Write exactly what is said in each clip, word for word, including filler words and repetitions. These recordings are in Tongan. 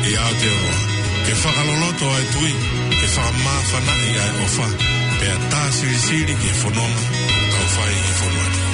ʻI Aotearoa, ke fakaloloto ʻa e tui, ke fakamāfanaʻi ʻa e ʻofa, pea tā silisili ki he fononga ʻoku tau fai ʻi he fonua ni.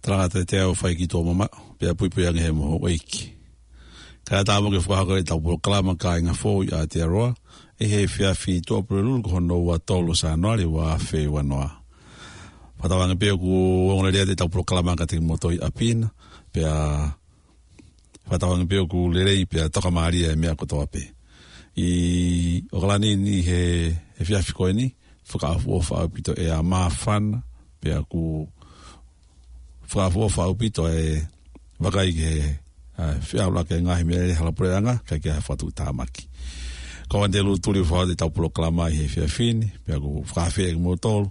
Talangata te au fai ki tō mama, pea puipui ange he moho ʻeiki. Ka tā mo ke fakahoko ʻetau polokalama kāinga foʻou ʻi Aotearoa, ʻi he efiafi Tuʻapulelulu ko hono ua tolu Sānuali ua afe ua noa. Fakatauange pē ʻoku ongo lelei ʻetau polokalama ka te ki moto ʻi ʻapi na, pea fakatauange pē ʻoku lelei pea tokamālie e meʻa kotoa pē. ʻI ʻOkalani ni he, he efiafi ko eni, fakaʻofoʻofa ʻaupito e ʻa māfana, pea ʻoku fakaʻofoʻofa ʻaupito e vakai ki he, ʻa, feʻaluʻaki e ngaahi meʻa ʻi he hala puleʻanga, kae ʻikai ke ha fakatuʻutāmaki. Ko ʻAnitelū Tuli ʻoku fakahoko ʻetau polokalama ʻi he efiafi ni, pea ʻoku ou fakaafeʻi kimoutolu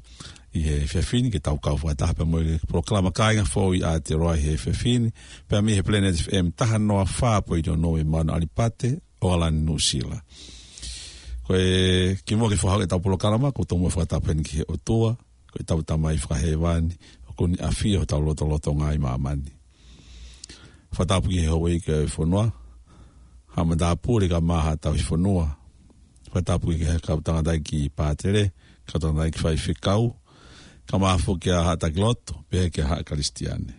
ʻi he efiafi ni, ke tau kau fakataha pea mo e polokalama kāinga foʻou ʻi Aotearoa ʻi he efiafi ni, pea mei he Planet F M taha noa fā poini ono ʻi Mount ʻAlipate, ʻAokalani, Nuʻusila. Ko e kimuʻa ke fakahoko ʻetau polokalama, ʻoku ou tomuʻa fakatapu heni ki he ʻOtua, ko ʻetau Tamai Fakahēvani, ʻoku ne ʻafio ʻi hotau lotolotonga ʻi māmani. Fakatapu ki he houʻeiki ʻo e fonua, haʻa matāpule kae ʻumaʻā haʻa tauhi fonua. Fakatapu ki he kau tangataʻeiki pātele, kau tangataʻeiki faifekau, kae ʻumaʻā foki ʻa haʻa taki lotu, pehē ki he haʻa Kalisitiane.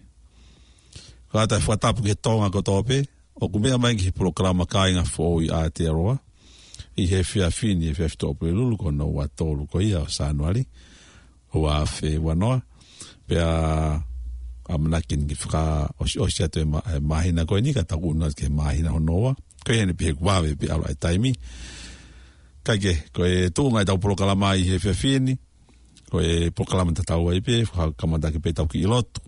Kae ʻatā e fakatapu ki he Tonga kotoa pē, ʻoku meʻa mai ki he polokalama kāinga foʻou ʻi Aotearoa, ʻi he efiafi ni, efiafi Tuʻapulelulu ko hono ua tolu ko ia ʻo Sānuali, ua afe ua noa, pea ʻamanaki ke fakaʻosiʻosi atu e mā-, e māhina ko eni ka tau ʻunu atu ki he māhina hono ua, ko ia ʻeni pē he kuo vave pē ʻalu e taimi. Kae kehe, ko e tuʻunga ʻetau polokalama ʻi he efiafi ni, ko e polokalama tatau ai pē, fakakamata ʻaki pē ʻetau kiʻi lotu.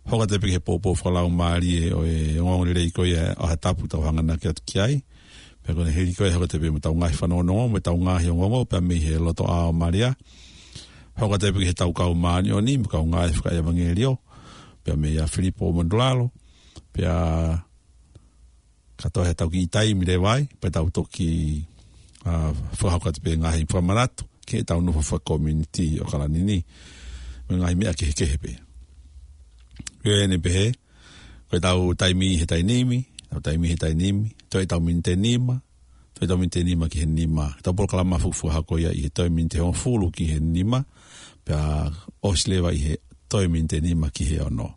Hoko atu pē ki he poupou fakalaumālie ʻo e ongoongolelei ko ia ʻo e ʻaho Tapu ʻoku tau hanganaki atu ki ai. Pea ko ʻene hili ko ia hoko atu pē mo ʻetau ngaahi fanongonongo, mo ʻetau ngaahi ongoongo, pea mei he loto ʻao ʻo Malia. Hoko atu pē ki heʻetau kau māʻoniʻoni, mo e kau ngāue fakaʻevangeliō, pea mei a Filipo Matulalo, pea ka toe ʻi ai haʻatau kiʻi taimi leva ai, pea tau toki, ʻa, fakahoko atu pē ngaahi fakamanatu ki heʻetau nofo fakakomiunitī ʻi ʻOkalani ni. Mo e ngaahi meʻa kehekehe pē. Ko ʻeni pē he, ko ʻetau taimi he taimi ni, ʻetau taimi he taimi ni, toe ʻetau miniti ʻe nima, toe ʻetau miniti ʻe nima ki he nima. ʻEtau polokalama fuʻu fakahoko ia ʻi he toe miniti ʻe hongofulu ki he nima, pea ʻosi leva ʻi he toe miniti ʻe nima ki he ono.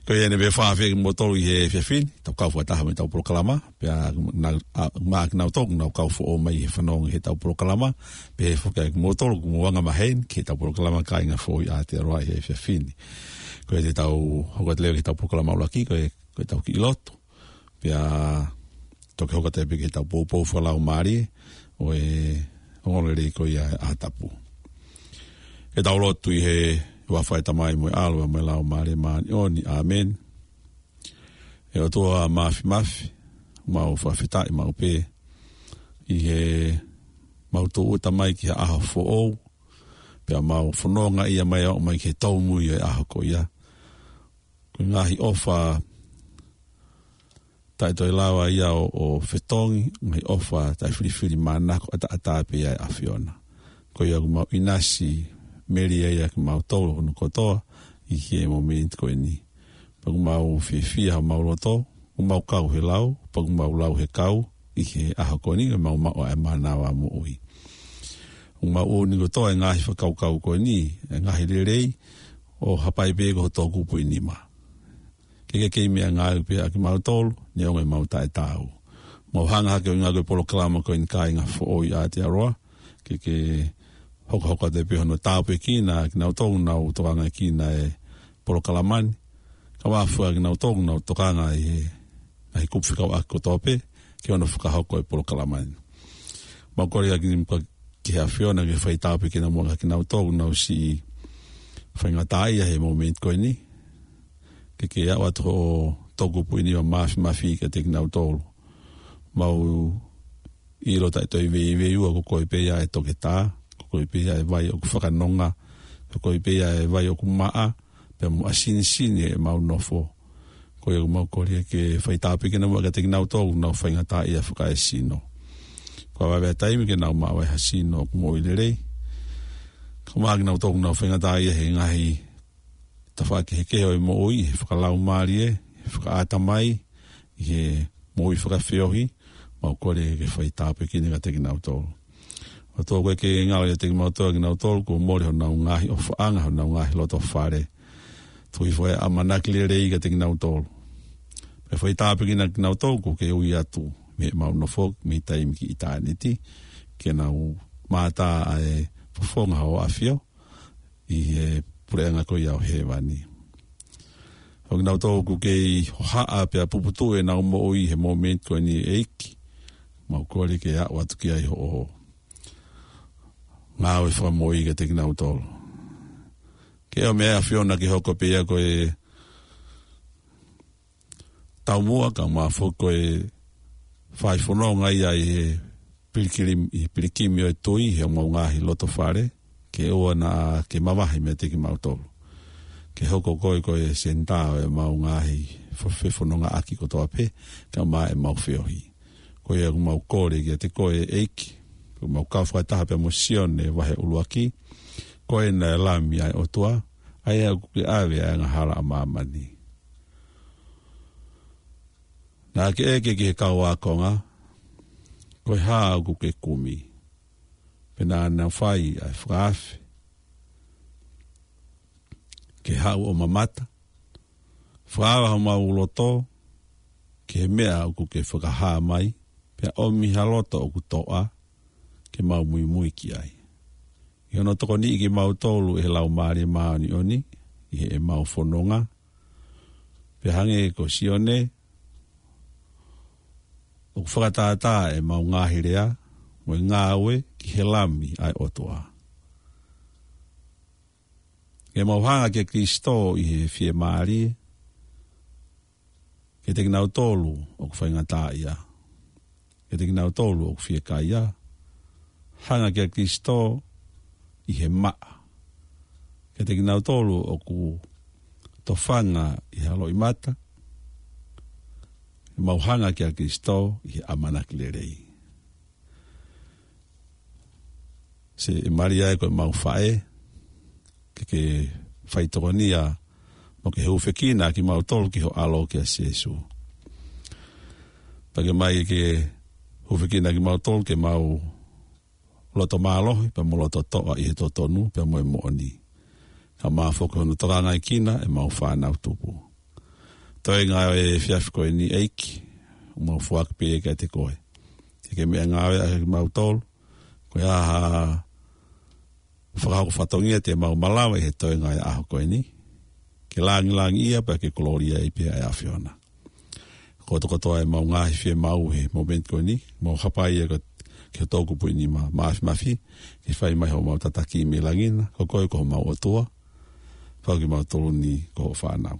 Ko ia ʻeni pē fakaafeʻi kimoutolu ʻi he efiafi ni, tau kau fakataha mo ʻetau polokalama, pea ʻoku nau, ʻa, ʻoku nau kau foʻou mai he fanongo ʻi heʻetau polokalama, pea foki ʻa kimoutolu ʻoku mou anga maheni ki heʻetau polokalama Kāinga Foʻou ʻi Aotearoa ʻi he efiafi ni. Ko ia te tau hoko atu leva ki heʻetau polokalama ʻuluaki, ko e, ko ʻetau kiʻi lotu. Pea toki hoko atu pē ki heʻetau poupou fakalaumālie ʻo e ongoongolelei ko ia ʻa e ʻaho tapu. Ke tau lotu. ʻI he huafa ʻo e Tamai mo e ʻAlo mo e Laumālie Māʻoniʻoni. ʻĀmeni. ʻE ʻOtua Māfimafi, mau fakafetaʻi maʻu pē ʻi heʻemau tūʻuta mai ki ha ʻaho foʻou, pea mau fononga ia mai ʻo aʻu mai ki he tōmui ʻo e ʻaho ko ia. Ko e ngaahi ʻofa taʻe toe lava ia ʻo, ʻo fetongi, ngaahi ʻofa taʻe filifilimānako, ʻataʻatā pē ia ʻa e ʻAfiona. Ko ia ʻoku mau ʻinasi melie ai ʻa kimautolu hono kotoa ʻi he mōmeniti ko ʻeni. Pea ʻoku mau fiefia homau loto, ʻoku mau kau he lau, pea ʻoku mau lau he kau ʻi he ʻaho ko ʻeni, ʻoku mau maʻu ʻa e mānava moʻui. ʻOku mau ʻomi kotoa e ngaahi fakakaukau ko ʻeni, e ngaahi lelei, ʻo hapai pē ko ho toʻukupu ʻi nima. Ke ke kei meʻangāueʻaki pē ʻa kimautolu, neongo ʻemau taʻetaau. Mau hanga hake ʻo ngāueʻaki e polokalama ko ʻeni Kāinga Foʻou ʻi Aotearoa, ke ke hokohoko atu pē hono tāpuekina ʻa kinautolu ʻoku nau tokangaʻi ʻa e polokalama ni. Kae ʻumaʻā foki ʻa kinautolu ʻoku nau tokanga ʻi he ngaahi kupu fekauʻaki kotoa pē, ke ʻoua naʻa fakahoko e polokalama ni. Mau kole ʻa kimoutolu ki he ʻAfiona ke fai tāpuekina muʻa ʻa kinautolu ʻoku nau siʻi faingataʻaʻia he mōmeniti ko ʻeni. Ke ke aʻu atu ho toʻukupu ʻi nima Māfimafi kiate kinautolu. Mau ʻilo taʻe toe veiveiua ko koe pē ia ʻa e toketā, ko koe pē ia ʻa e vai ʻoku fakanonga, ko koe pē ia ʻa e vai ʻoku maʻa, pea mo ʻasinisini ʻemau nofo. Ko ia ʻoku mau kole ke fai tāpuekina muʻa kiate kinautolu ʻoku nau faingataʻaʻia fakaesino. Kuo vave ʻa e taimi ke nau maʻu ai ha sino ʻoku moʻui lelei. Kae ʻumaʻā kinautolu ʻoku nau faingataʻaʻia he ngaahi tafaʻaki kehekehe ʻo e moʻui, he fakalaumālie, he fakaʻatamai, he moʻui fakafeohi, mau kole ke fai tāpuekina kiate kinautolu. ʻOtua, ko e ke ngalo ʻiate kimautolu, kinautolu kuo mole honau ngaahi ʻofaʻanga, honau ngaahi loto fale. Tuku hifo ʻa e ʻamanaki lelei kiate kinautolu. Pea fai tāpuekina kinautolu kuo ke ui atu mei heʻemau nofo mei taimi ki ʻitāniti, ke nau mātā ʻa e fofonga ho ʻAfio ʻi he puleʻanga ko ia ʻo hēvani. ʻO kinautolu ʻoku kei hohaʻa pea puputuʻu ʻenau moʻui he mōmeniti ko ʻeni, ʻEiki, mau kole ke aʻu atu ki ai hoʻo ngāue fakamoʻui kiate kinautolu. Ke ʻomi ʻa e ʻAfiona ke hoko pē ia ko e taumuʻa kae ʻumaʻā foki ko e fai fononga ia ʻi he pilikimi, ʻi he pilikimi ʻo e tui, he ʻemau ngaahi loto fale, ke ʻoua naʻa ke mavahe meiate kimautolu. Ke hoko koe ko e senitā ʻo ʻemau ngaahi fo-, fefonongaʻaki kotoa pē, kae ʻumaʻā ʻemau feohi. Ko ia ʻoku mau kole kiate koe, ʻEiki, ʻoku mau kau fakataha pea mo Sione vahe ʻuluaki, ko ena e Lami ʻa e ʻOtua, ʻa ia ʻoku ke ʻave ʻa e angahala ʻa māmani. Naʻa ke ʻeke ki he kau ākonga, ko e hā ʻoku ke kumi? Pea naʻa nau fai ʻa e fakaafe. Ke haʻu ʻo mamata, fakaava homau loto ki he meʻa ʻoku ke fakahā mai, pea ʻomi ha loto ʻoku toʻa ke mau muimui ki ai. ʻI hono tokoniʻi kimautolu ʻe he Laumālie Māʻoniʻoni ʻi heʻemau fononga, pea hangē ko Sione, ʻoku fakatātā ʻemau ngaahi lea mo e ngāue ki he Lami ʻa e ʻOtua. Ke mau hanga kia Kalaisi ʻi he fiemālie, kiate kinautolu ʻoku faingataʻaʻia, kiate kinautolu ʻoku fiekaia, hanga kia Kalaisi ʻi he maʻa, kiate kinautolu ʻoku tofanga ʻi ha loʻimata, mau hanga kia Kalaisi ʻi he ʻamanaki lelei. Siʻi Malia ē ko ʻemau faʻē, ke ke fai tokonia, mo ke hūfekina kimautolu ki ho ʻAlo kia Sīsū. Pea ke mai ke hūfekina kimautolu ke mau loto mālohi, pea mo loto toʻa ʻi he totonu, pea mo e moʻoni. Ka ʻoku mau foki hono tokangaʻi kinaua ʻemau fānau tupu. Toe ngāue he efiafi ko eni ʻEiki, ʻoku mau foaki pē ia kiate koe. Ke ke meʻangāue ʻaki kimautolu, ko e hā ha fakahoko fatongia te mau malava ʻi he toe ngāue ʻaho ko eni. Ke langilangiʻia pea ke kolōlia ai pē ʻa e ʻAfiona. Kotokotoa ʻemau ngaahi fiemaʻu he momeniti ko eni, mau hapai ia ko, ki ho toʻukupu ʻi he nima māfimafi, ke fai mai homau tataki mei langi na, ko koe ko homau ʻOtua, pea ko kimautolu ni ko hoʻo fānau.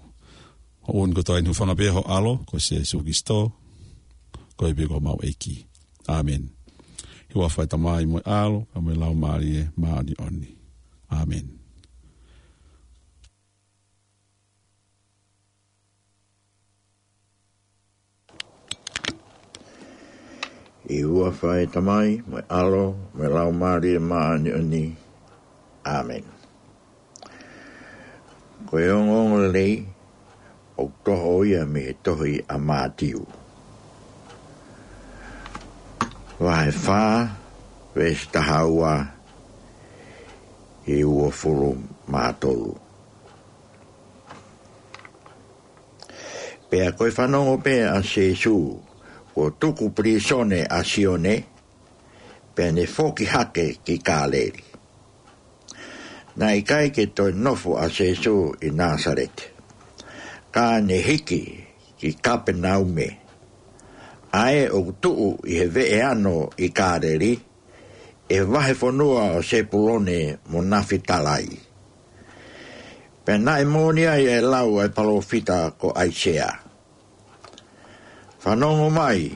ʻOku ou ʻomi kotoa eni ʻi he hūfanga pē ho ʻAlo, ko Sīsū Kalaisi, ko ia pē ko homau ʻEiki. ʻĀmeni. ʻI he huafa ʻo e Tamai mo e ʻAlo, mo e Laumālie Māʻoniʻoni. ʻĀmeni. ʻI he huafa ʻo e Tamai, mo e ʻAlo, mo e Laumālie Māʻoniʻoni. ʻĀmeni. Ko e ongoongolelei, ʻoku toʻo ia mei he tohi ʻa Mātiu. Vahe fā, veesi taha ua, ki he uofulu mā tolu. Pea ko e fanongo pē ʻa Sīsū, kuo tuku pilīsone ʻa Sione, pea ne foki hake ki Kāleli. Naʻe ʻikai ke toe nofo ʻa Sīsū ʻi Nāsaleti. Ka ne hiki ki Kapenaume. ʻA ē ʻoku tuʻu ʻi he veʻe ano ʻi Kāleli, ʻi he vahefonua ʻo Sepulone mo Nafitalai. Pea naʻe moʻoni ai ʻa e lau ʻa e palōfita ko ʻAisea. Fanongo mai,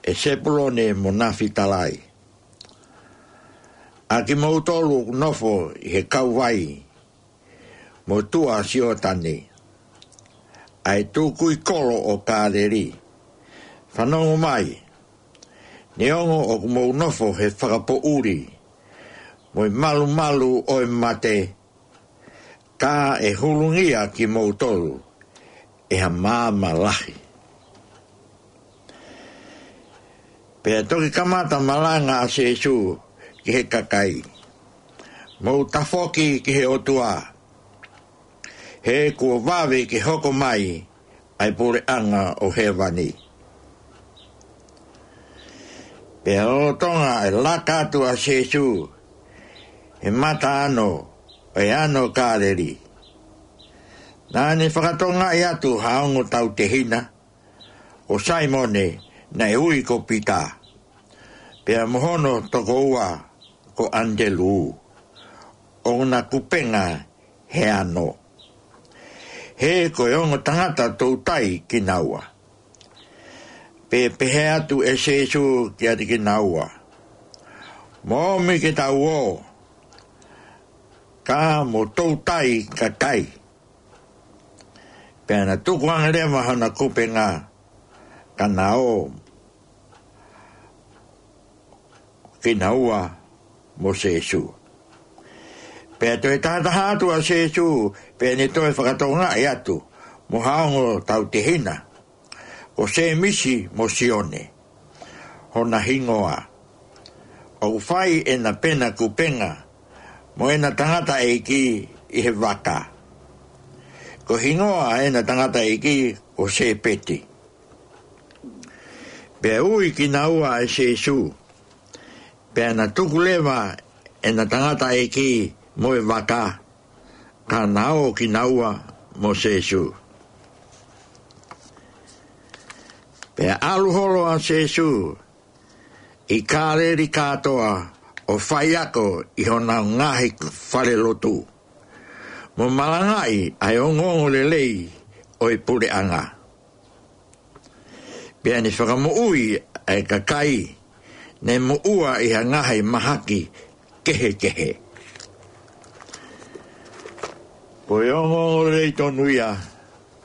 ʻe Sepulone mo Nafitalai. ʻA kimoutolu ʻoku nofo ʻi he kauvai, mo tuʻa Sioatane. ʻA e tukui kolo ʻo Kāleli. Fanongo mai, neongo ʻoku mou nofo he fakapoʻuli, mo e malumalu ʻo e mate, ka ʻe hulungia kimoutolu ʻe ha maama lahi. Pea toki kamata malanga ʻa Sīsū ki he kakai. Mou tafoki ki he ʻOtua. He kuo vave ke hoko mai ʻa e puleʻanga ʻo hēvani. Pea lolotonga ʻa e laka atu ʻa Sīsū he mataʻi ano, ʻa e ano Kāleli. Naʻa ne fakatokangaʻi atu ha ongo tautehina, ko Saimone naʻe ui ko Pita. Pea mo hono tokoua ko ʻAnitelū. ʻOna kupenga he ano. He ko e ongo tangata toutai kinaua. Pea pehē atu ʻe Sīsū kiate kinaua. Mou ōmi ke tau ō. Ka mou toutai kakai. Pea na tukuange leva hona kupenga. Ka na ō kinaua mo Sīsū. Pea toe tahataha atu ʻa Sīsū, pea ne toe fakatokangaʻi atu, mo ha ongo tautehina, ko Sēmisi mo Sione, hona hingoa. ʻOku fai ʻena pena kupenga, mo ʻena tangataʻeiki ʻi he vaka. Ko e hingoa ʻena tangataʻeiki ko Sēpeti. Pea ui kinaua ʻe Sīsū. Pea na tuku leva ʻena tangataʻeiki mo e vaka. Ka na ō kinaua mo Sīsū. Pea ʻalu holo ʻa Sīsū ʻi Kāleli kātoa ʻo faiako ʻi honau ngaahi falelotu. Mo malangaʻi ʻa e ongoongolelei ʻo e puleʻanga. Pea ne fakamoʻui ʻa e kakai, ne moʻua ʻi ha ngaahi mahaki kehekehe. Ko e ongoongolelei tonu ia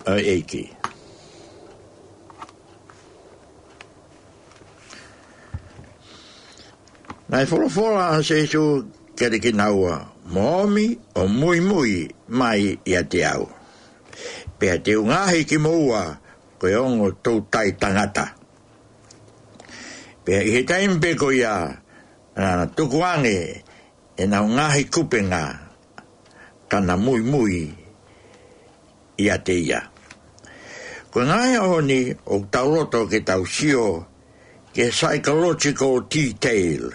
ʻa e ʻEiki. Naʻe folofola ʻa Sīsū kiate kinaua, mou ōmi ʻo muimui mai ʻiate au. Pea te u ngaohi kimoua ko e ongo toutai tangata. Pea ʻi he taimi pē ko ia, naʻa na tukuange ʻenau ngaahi kupenga, pea na muimui ʻiate ia. Ko e ngaahi ʻaho ni ʻoku tau loto ke tau sio ki he psychological detail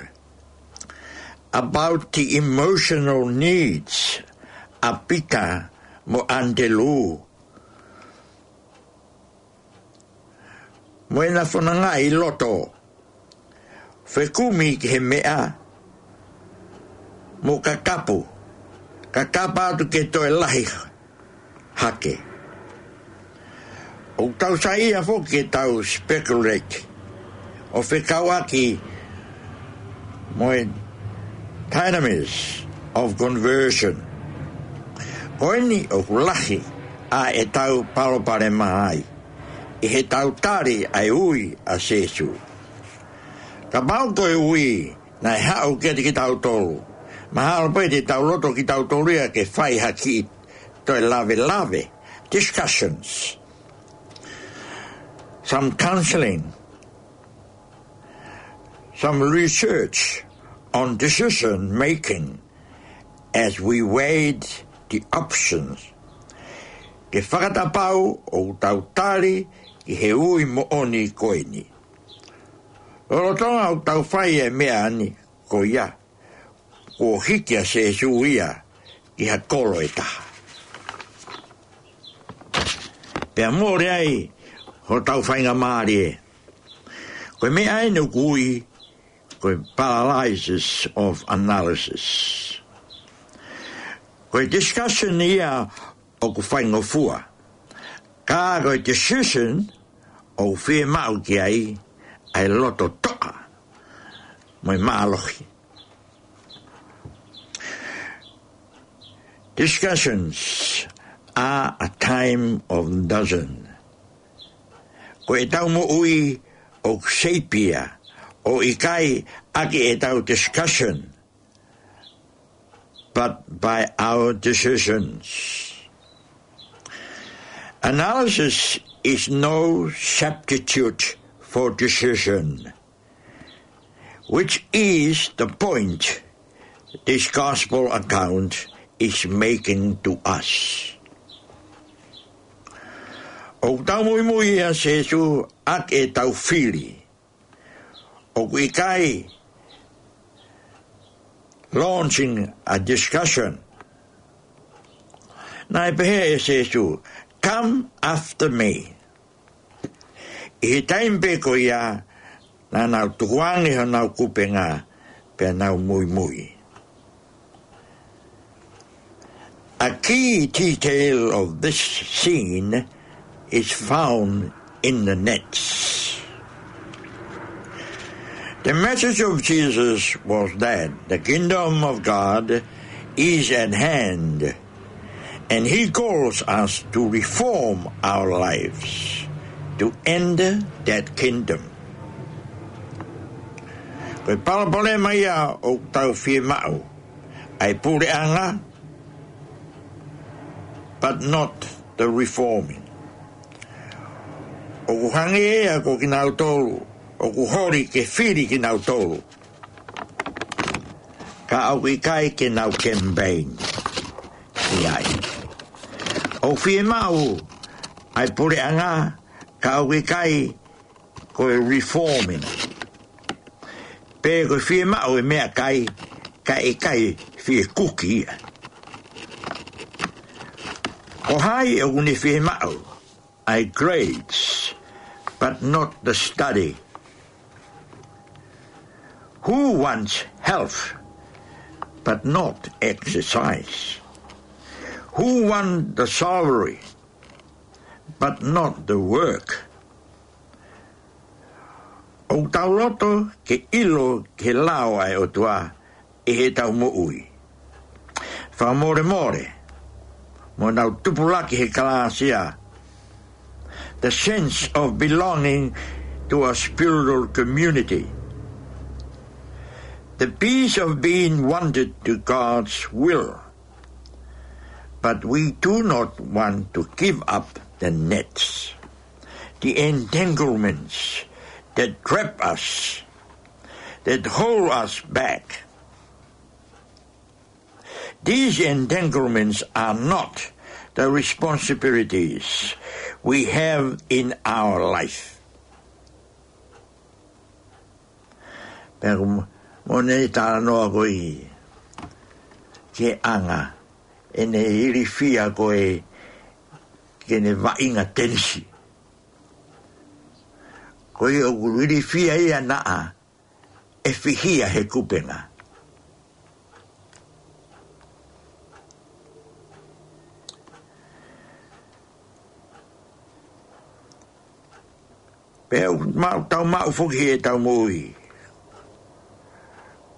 about the emotional needs ʻa Pita mo ʻAnitelū, mo ʻena fonongaʻi loto fekumi ki he meʻa mo kakapu, kakapa atu ke toe lahi hake. ʻOku tau saiʻia foki ke tau speculate ʻo fekauʻaki mo e dynamics of conversion. Ko eni ʻoku lahi ʻa ʻetau palopalema ai ʻi heʻetau tali ʻa e ui ʻa Sēsū. Kapau ko e ui naʻe haʻu kiate kitautolu, mahalo pē te tau loto kitautolu ia ke fai ha kiʻi toe lavelave, discussions, some counseling, some research on decision making as we weighed the options. Ke fakatapau ʻoku tau tali ki he ui moʻoni ko eni. Lolotonga ʻoku tau fai e meʻa ni, ko ia, kuo hiki ʻa Sēsū ia ki ha kolo ʻe taha. Pea mole ai hotau faingamālie. Ko e meʻa eni ʻoku ui ko e paralysis of analysis. Ko e discussion ia ʻoku faingofua. Ka ko e decision ʻoku fiemaʻu ki ai ʻa e loto toʻa mo e mālohi. Discussions are a time of dozen. Ko ʻetau moʻui ʻoku shape ia ʻo ʻikai ʻaki ʻetau discussion, but by our decisions. Analysis is no substitute for decision, which is the point this gospel account is making to us. ʻOku tau muimui ʻia Sēsū ʻaki ʻetau fili. ʻOku ʻikai launching a discussion. Naʻe pehē ʻe Sēsū, "Come after me." ʻI he taimi pē ko ia, naʻa nau tukuange honau kupenga, pea nau muimui. A key detail of this scene is found in the nets. The message of Jesus was that the kingdom of God is at hand, and he calls us to reform our lives to enter that kingdom. Ko e palopalema ia ʻoku tau fiemaʻu ʻa e puleʻanga, but not the reforming. ʻOku hangē ia ko kinautolu ʻoku holi ke fili kinautolu, ka ʻoku ʻikai ke nau campaign ki ai. ʻOku fiemaʻu ʻa e puleʻanga, ka ʻoku ʻikai ko e reforming. Pe ko e fiemaʻu e meʻakai, ka ʻikai fie kuki ia. Ko hai ʻoku ne fiemaʻu ʻa e grades, but not the study? Who wants health, but not exercise? Who wants the salary, but not the work? ʻOku tau loto ke ʻilo ki he lao ʻa e ʻOtua ʻi heʻetau moʻui. Fakamolemole, mo nau tupulaki he kalāsia, the sense of belonging to a spiritual community, the peace of being wanted to God's will. But we do not want to give up the nets, the entanglements that trap us, that hold us back. These entanglements are not the responsibilities we have in our life. Pea ko mo ne talanoa ko ē ki he anga ʻene ilifia ko ē ki heʻene vaʻinga tenisi. Ko ia ʻoku ilifia ia naʻa ʻe fihia he kupenga. Pea ʻoku maʻu, tau maʻu foki he tau moʻui.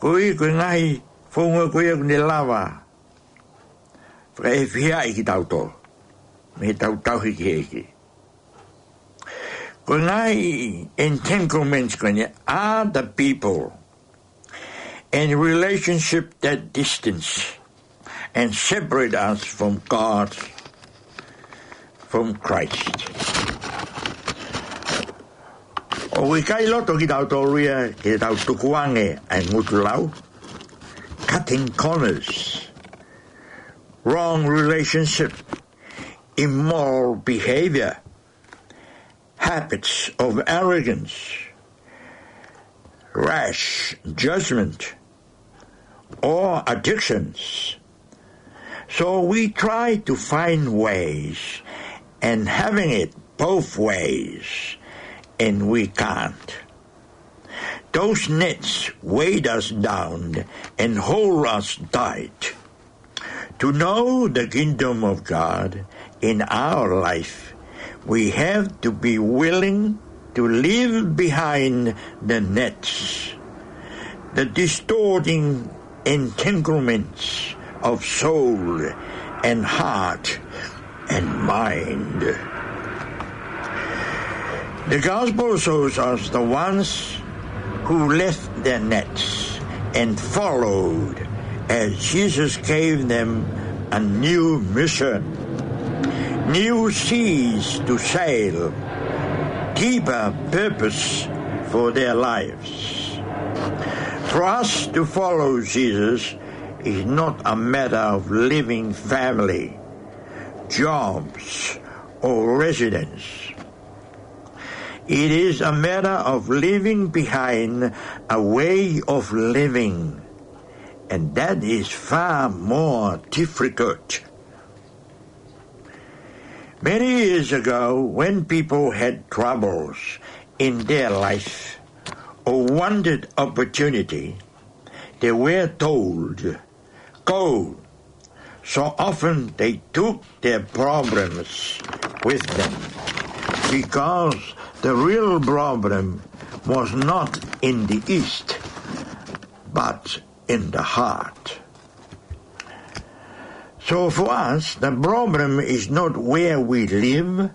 Ko ia, ko e ngaahi founga ko ia ʻoku ne lava fakaefiaʻi kitautolu mei heʻetau tauhi ki he ʻEiki. Ko e ngaahi entanglements ko eni are the people and relationship that distance and separate us from God, from Christ. ʻOku ʻikai loto kitautolu ia ke tau tukuange ʻa e ngutu lau, cutting corners, wrong relationship, immoral behavior, habits of arrogance, rash judgment, or addictions. So we try to find ways and having it both ways, and we can't. Those nets weigh us down and hold us tight. To know the kingdom of God in our life, we have to be willing to leave behind the nets, the distorting entanglements of soul and heart and mind. The gospel shows us the ones who left their nets and followed as Jesus gave them a new mission, new seas to sail, deeper purpose for their lives. For us to follow Jesus is not a matter of leaving family, jobs, or residence. It is a matter of leaving behind a way of living, and that is far more difficult. Many years ago, when people had troubles in their life or wanted opportunity, they were told, "Go." So often they took their problems with them because the real problem was not in the east, but in the heart. So for us, the problem is not where we live,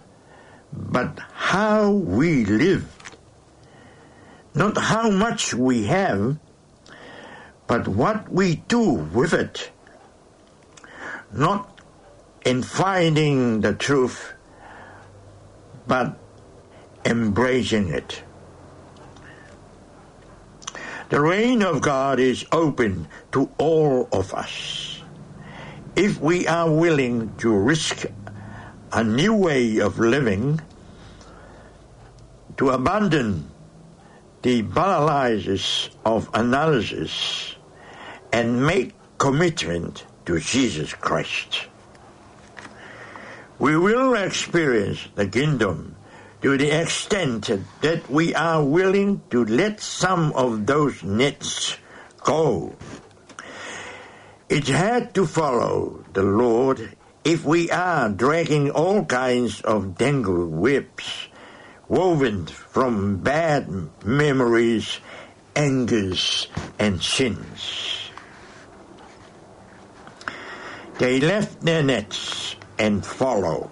but how we live. Not how much we have, but what we do with it. Not in finding the truth, but embracing it. The reign of God is open to all of us. If we are willing to risk a new way of living, to abandon the paralysis of analysis and make commitment to Jesus Christ, we will experience the kingdom to the extent that we are willing to let some of those nets go. It's hard to follow the Lord if we are dragging all kinds of tangled webs woven from bad memories, angers, and sins. They left their nets and follow.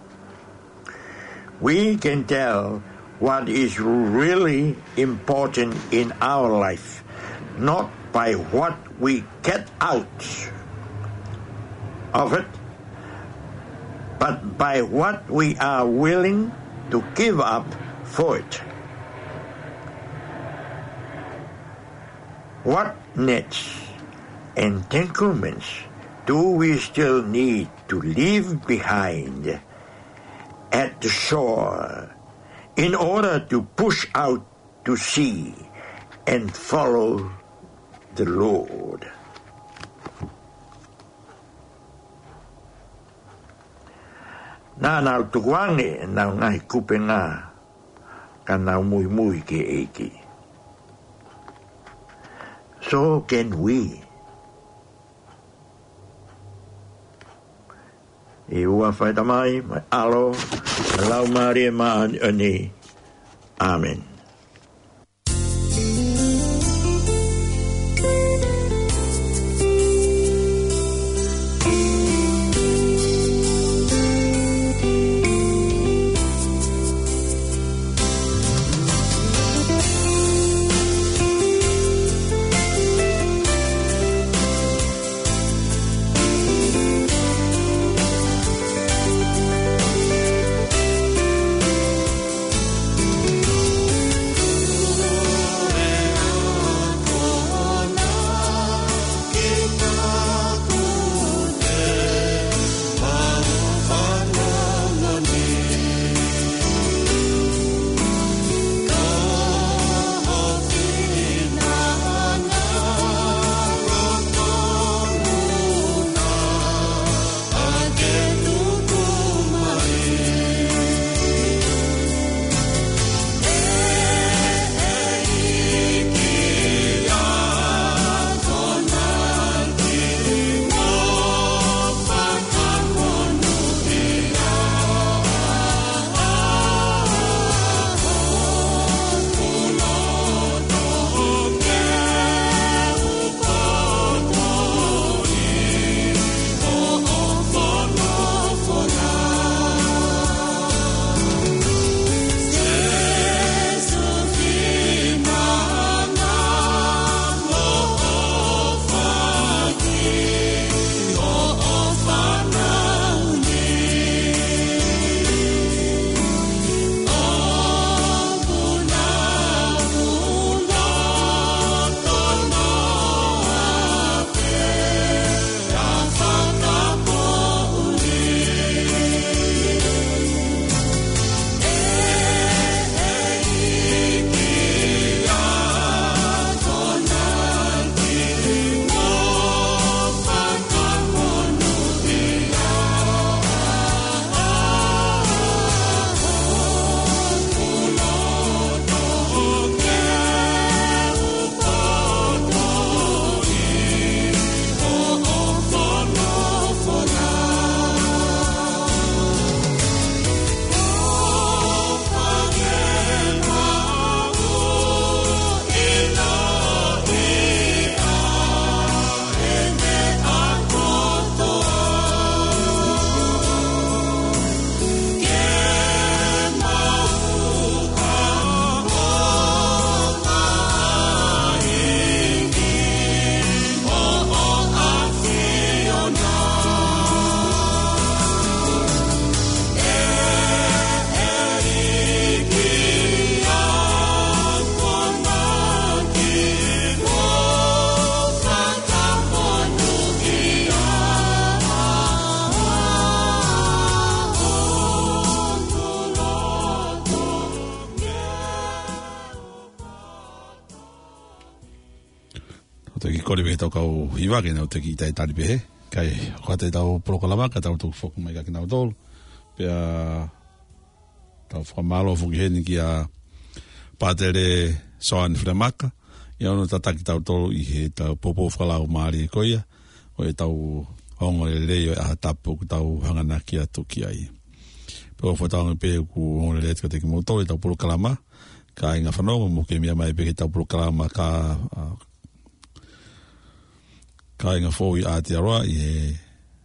We can tell what is really important in our life, not by what we get out of it, but by what we are willing to give up for it. What nets, entanglements, Do we still need to leave behind at the shore in order to push out to sea and follow the Lord? Naʻa nau tukuange ʻenau ngaahi kupenga, ka nau muimui ki he ʻEiki. So can we. ʻI he huafa ʻo e Tamai, mo e ʻAlo, mo e Laumālie Māʻoniʻoni. ʻĀmeni. Tau toki kole pē ki he tau kau hiva ke nau toki talitali pehē. Kae hoko atu ʻetau polokalama, ka tau toki foki mai kia kinautolu. Pea tau fakamālō foki heni kia Pātele Soane Filemaka, ʻi hono tataki kitautolu ʻi heʻetau poupou fakalaumālie ko ia ʻo ʻetau ongoongolelei ʻo e ʻaho tapu ʻoku tau hanganaki atu ki ai. Pea ʻoku ou fakatauange pē ʻoku ongoongolelei atu kiate kimoutolu ʻetau polokalama, kāinga fanongo, mou kei meʻa mai pē ki heʻetau polokalama ka, ʻa, kāinga foʻou ʻi Aotearoa ʻi he,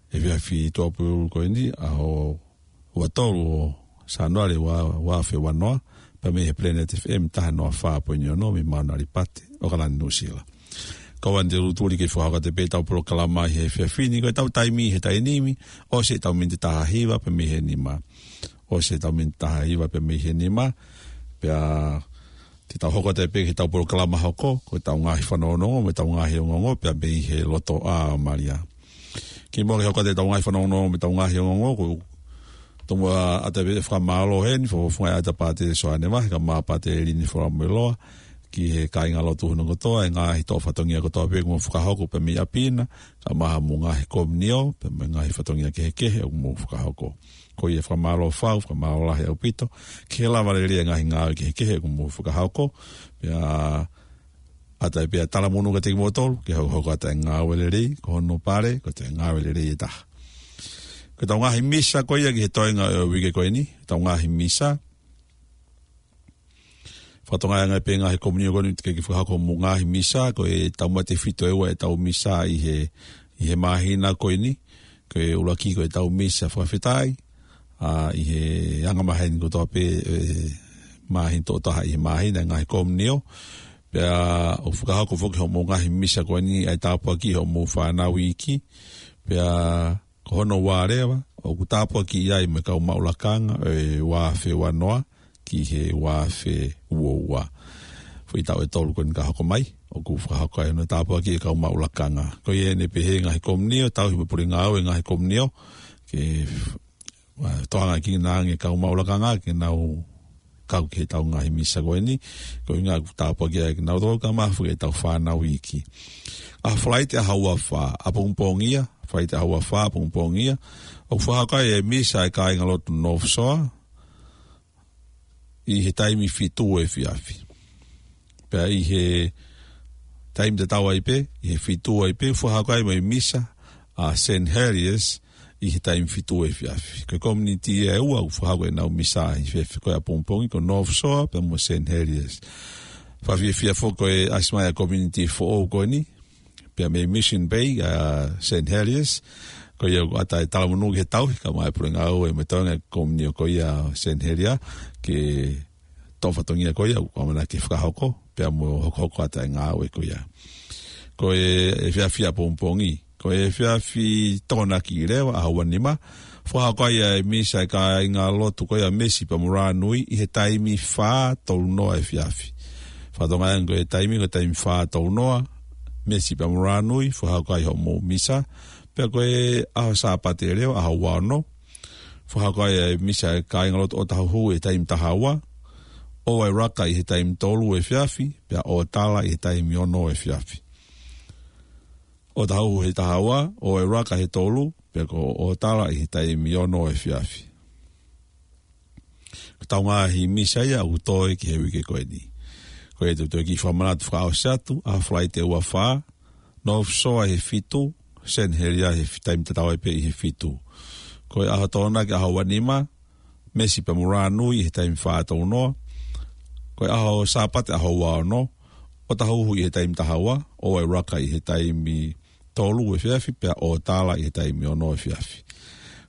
he efiafi Tuʻapulelulu ko eni, ʻaho ua tolu ʻo Sānuali ua, ua afe ua noa, pea mei he Planet F M taha noa fā poini ono mei Maunalipate, ʻAokalani, Nuʻusila. Kau ʻamanaki te u tuli ke fakahoko atu pē ʻetau polokalama ʻi he efiafi ni, ko ʻetau taimi he taimi ni, ʻosi ʻetau miniti taha hiva pea mei he nima. ʻOsi ʻetau miniti taha hiva pea mei he nima, pea te tau hoko atu pē ki heʻetau polokalama hoko, ko ʻetau ngaahi fanongonongo, mo ʻetau ngaahi ongoongo, pea mei he loto ʻa Malia. Kimuʻa ke hoko atu ʻetau ngaahi fanongonongo mo ʻetau ngaahi ongoongo, ʻoku ou tomuʻa ʻatā pē ʻa e fakamālō heni, fakafofonga ʻa Pātele Soane Vahe, kae ʻumaʻā Pātele Lini Folamueloa, ki he kāingalotu hono kotoa, ʻa e ngaahi toʻo fatongia kotoa pē ʻoku mou fakahoko pē mei ʻapi na, kae ʻumaʻā mo e ngaahi komiunio, pea mo e ngaahi fatongia kehekehe ʻoku mou fakahoko. Ko ia fakamālō fau, fakamālō lahi ʻaupito, ki he lava lelei ʻa e ngaahi ngāue kehekehe ʻoku mou fakahoko, pea ʻatā pē ʻa e talamonū kiate kimoutolu, ke hokohoko atu ʻa e ngāue lelei, ko hono pale, ko e ngāue lelei ʻe taha. Ko ʻetau ngaahi misa ko ia ki he toenga ʻo e uike ko eni, ʻetau ngaahi misa. Fakatokangaʻi ange pē ngaahi komiunio ko eni, teʻeki ke fakahoko mo e ngaahi misa, ko e taumate fito ʻe ua ʻetau misa ʻi he, ʻi he māhina ko eni, ko e ʻuluaki ko ʻetau misa fakafetaʻi, ʻa, ʻi he anga maheni kotoa pē, ʻe, māhina, tokotaha ʻi he māhina, ngaahi komiunio. Pea ʻoku fakahoko foki hoʻomou ngaahi misa ko eni ʻa e tāpuaki hoʻomou fānau iiki. Pea ko hono ua leva, ʻoku tāpuakiʻi ai mo e kau maʻu lakanga, ʻe ua afe ua noa, ki he ua afe ua ua. Foʻi taʻu ʻe tolu ko eni ka hoko mai, ʻoku fakahoko ai hono tāpuakiʻi e kau maʻu lakanga. Ko ia ʻeni pē he ngaahi komiunio, tauhi mo e pule ngāue ngaahi komiunio, ke, ʻa, toʻo ange ki nā ange kau maʻu lakanga, ke nau kau ki heʻetau ngaahi misa ko eni, ko e ʻuhinga ʻoku tāpuakiʻi ai kinautolu kae ʻumaʻā foki ʻetau fānau iiki. ʻAho Falaite ʻaho ua fā, ʻapongipongi ia, Falaite ʻaho ua fā, ʻapongipongi ia, ʻoku fakahoko ai e misa ʻa e kāingalotu North Shore, ʻi he taimi fitu efiafi. Pea ʻi he taimi tatau ai pē, ʻi he fitu ai pē, fakahoko ai mo e misa ʻa Saint Heliers ʻi he taimi fitu efiafi. Ko e komiunitī ʻe ua ʻoku fakahoko ʻenau misa ʻi he efiafi ko ia ʻapongipongi, ko North Shore pea mo Saint Heliers. Fakafiefia foki ko e ʻasi mai ʻa e komiunitī foʻou ko eni, pea mei Mission Bay, ʻa Saint Heliers, ko ia ʻoku ʻatā e talamonū ki he tauhi, kae ʻumaʻā e pule ngāue mo e toenga e komiunio ko ia Saint Heliers, ke toʻo fatongia ko ia ʻoku ʻamanaki ke fakahoko, pea mo hokohoko atu ʻa e ngāue ko ia. Ko e efiafi ʻapongipongi, ko e efiafi Tokonaki leva, ʻaho ua nima, fakahoko ai ʻa e misa ʻa e kāingalotu ko ia Mesi pea mo Rānui ʻi he taimi fā tolu noa efiafi. Fakatokangaʻi ange ko e taimi, ko e taimi fā tolu noa, Mesi pea mo Rānui, fakahoko ai hoʻomou misa, pea ko e ʻaho Sāpate leva, ʻaho ua ono, fakahoko ai ʻa e misa ʻa e kāingalotu ʻOtahuhu ʻi he taimi taha ua, ʻOuailaka ʻi he taimi tolu efiafi, pea ʻOtala ʻi he taimi ono efiafi. ʻOtahuhu he taha ua, ʻOuailaka he tolu, pea ko ʻOtala ʻi he taimi ono efiafi. Ko ʻetau ngaahi misa ia ʻoku toe ki he uike ko eni. Ko ia te u toe kiʻi fakamanatu fakaʻosi atu, ʻaho Falaite ua fā, North Shore he fitu, Saint Heliers he fi-, taimi tatau ai pē ʻi he fitu. Ko e ʻaho Tokonaki ʻaho ua nima, Mesi pea mo Rānui he taimi fā tolu noa. Ko e ʻaho Sāpate ʻaho ua ono, ʻOtahuhu ʻi he taimi taha ua, ʻOuailaka ʻi he taimi tolu efiafi, pea ʻOtala ʻi he taimi ono efiafi.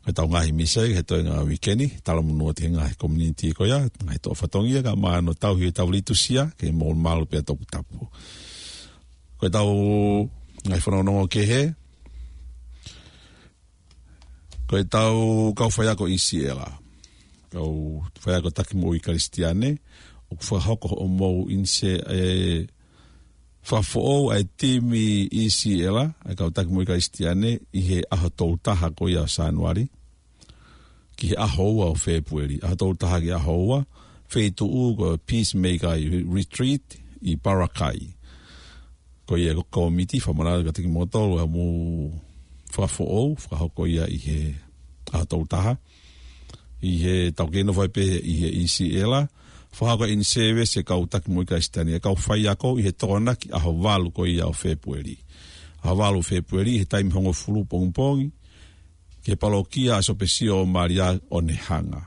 Ko ʻetau ngaahi misa ia ki he toenga uike ni, talamonū atu he ngaahi komiunitī ko ia, ngaahi toʻo fatongia kae ʻumaʻā hono tauhi ʻetau litūsia, ke molumalu pea toputapu. Ko ʻetau ngaahi fanongonongo kehe, ko ʻetau kau faiako ʻi Siela. Kau faiako taki moʻui Kalisitiane, ʻoku fakahoko hoʻomou ʻinise-, ʻe, fakafoʻou ʻa e timi ʻi Siela, ʻa e kau taki moʻui Kalisitiane, ʻi he ʻaho tolu taha ko ia ʻo Sānuali, ki he ʻaho ua ʻo Fēpueli. ʻAho tolu taha ki he ʻaho ua, feituʻu ko Peacemaker Retreat ʻi Parakai. Ko ia ko e kōmiti fakamanatu kiate kimoutolu ʻa e mou fakafoʻou, fakahoko ia ʻi he ʻaho tolu taha. ʻI heʻetau kei nofo ai pē ʻi he ʻi Siela, fakahoko ʻa e ʻinisēvesi ʻa e kau taki moʻui Kalisitiane, ʻa e kau faiako ʻi he Tokonaki ʻaho valu ko ia ʻo Fēpueli. ʻAho valu Fēpueli, he taimi hongofulu pongipongi, ki he palokia ʻa Sopesio Malia Onehunga.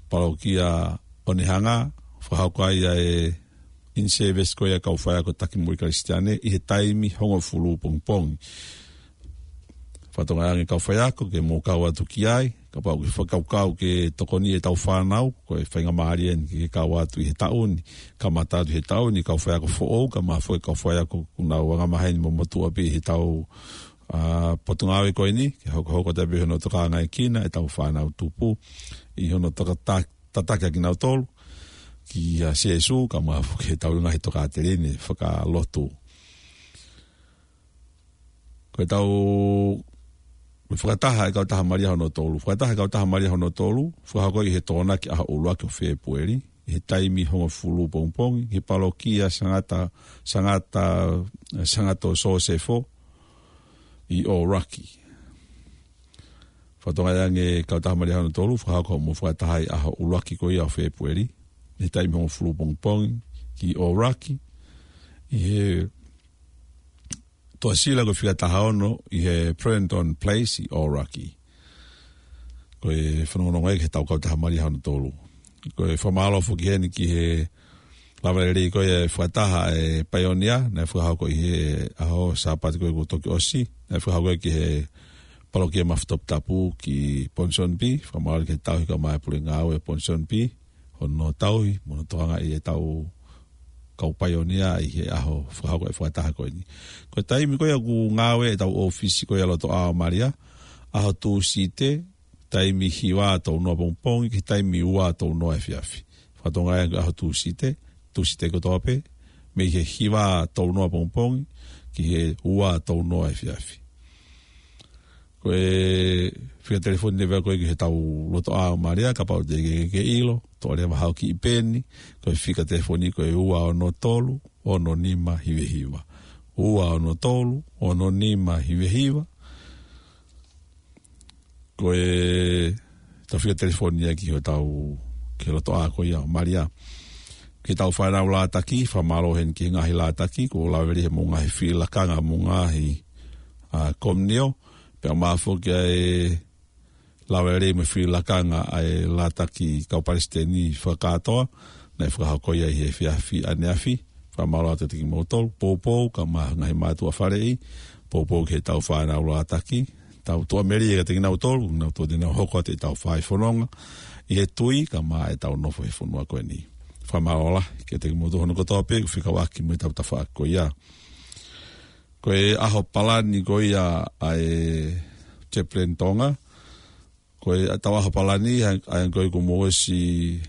Palokia Onehunga, fakahoko ai ʻa e ʻinisēvesi ko ia ʻa e kau faiako taki moʻui Kalisitiane, ʻi he taimi hongofulu pongipongi. Fakatokangaʻi ange kau faiako ke mou kau atu ki ai, kapau ʻoku ke fakakaukau ke tokoni ʻetau fānau, ko e faingamālie ʻeni ke kau atu ʻi he taʻu ni, kamata atu he taʻu ni, kau faiako foʻou, kae ʻumaʻā foki e kau faiako ʻoku nau angamaheni mo motuʻa pē ʻi heʻetau, ʻa, potungāue ko eni, ke hokohoko atu pē hono tokanga ʻe kina ʻetau fānau tupu, ʻi hono tokata-, tataki ʻa kinautolu, kia Sīsū, kae ʻumaʻā foki ʻetau ngaahi tokāteline fakalotu. Ko ʻetau Ko e fakataha ʻa e Kautaha Malia hono tolu. Fakataha ʻa e Kautaha Malia hono tolu, fakahoko ʻi he Tokonaki ʻaho ʻuluaki ʻo Fēpueli, ʻi he taimi hongofulu pongipongi, ki he palokia Sangata, Sangata, Sangato Sosefo, ʻi Aoraki. Fakatokangaʻi ange Kautaha Malia hono tolu, fakahoko mo fakataha ʻi he ʻaho ʻuluaki ko ia ʻo Fēpueli, ʻi he taimi hongofulu pongipongi, ki Aoraki, ʻi he Tuʻasila ko e fika taha ono ʻi he Prenton Place ʻi Aoraki. Ko e fanongonongo ia ki he tau Kautaha Malia hono tolu. Ko e fakamālō foki heni ki he lava lelei ko ia e fakataha e paionia, naʻe fakahoko ʻi he ʻaho Sāpate ko ē kuo toki ʻosi, naʻe fakahoko ki he palokia Mafi Toputapu ki Ponsonby, fakamālō ki he tauhi kae ʻumaʻā e pule ngāue Ponsonby, hono tauhi, mo hono tokangaʻi e tau kau paionia ʻi he ʻaho fakahoko e fakataha ko eni. Ko e taimi ko ia ʻoku ngāue e tau ʻōfisi ko ia loto ʻā ʻo Malia, ʻaho Tūsite, taimi hiva ʻo tau noa pongipongi, ki he taimi ua ʻo tau noa efiafi. Fakatokangaʻi ange ʻaho Tūsite, Tūsite kotoa pē, mei he hiva ʻo tau noa pongipongi, ki he ua ʻo tau noa efiafi. Ko e fika telefoni leva ko ē ki he tau loto ʻā ʻo Malia, kapau te ke, ke ʻilo, toʻo leva haʻo kiʻi peni, ko e fika telefoni ko e ua ono tolu, ono nima hiva hiva. Ua ono tolu, ono nima hiva hiva. Ko e tau fika telefoni ia ki he tau, ki he loto ʻā ko ia ʻo Malia. Ki he tau fānau lātaki, fakamālō heni ki he ngaahi lātaki, kuo lava lelei mo e ngaahi fili lakanga mo e ngaahi, ʻa, komiunio, pea ʻumaʻā foki ʻa e lava lelei mo e fili lakanga ʻa e lātaki kau palesiteni fakakātoa, naʻe fakahoko ia ʻi he efiafi ʻaneafi, fakamālō atu kiate kimoutolu, poupou, kae ʻumaʻā e ngaahi mātuʻa faleʻi, poupou ki he tau fānau lātaki, tau tuʻamelie kiate kinautolu, nau tuʻa te nau hoko atu e tau fai fononga, ʻi he tui, kae ʻumaʻā e tau nofo he fonua ko eni. Fakamālō lahi kiate kimoutolu hono kotoa pē, ʻoku fekauʻaki mo e tau tafaʻaki ko ia. Ko e ʻaho palani ko ia ʻa e Chaplain Tonga, ko e tau ʻaho palani, ʻa ia, ʻa ia ko ē kuo mou ʻosi,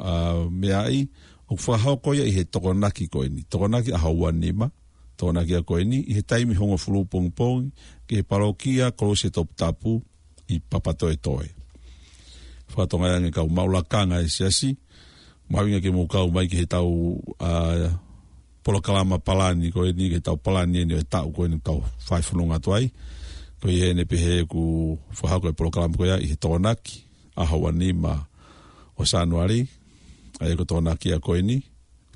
ʻa, meaʻi, ʻoku fakahoko ia ʻi he Tokonaki ko eni. Tokonaki ʻaho ua nima, Tokonaki ʻa ko eni, ʻi he taimi hongofulu pongipongi, ki he palokia Kolose Toputapu ʻi Papatoetoe. Fakatokangaʻi ange kau maʻu lakanga e siasi, mahuʻinga ke mou kau mai ki he tau, ʻa, polokalama palani ko eni, ki he tau palani eni ʻo e taʻu ko eni tau fai fononga atu ai. Ko ia eni pē he ʻoku fakahoko e polokalama ko ia ʻi he Tokonaki, ʻaho ua nima ʻo Sānuali, ʻa ia ko e Tokonaki ʻa ko eni,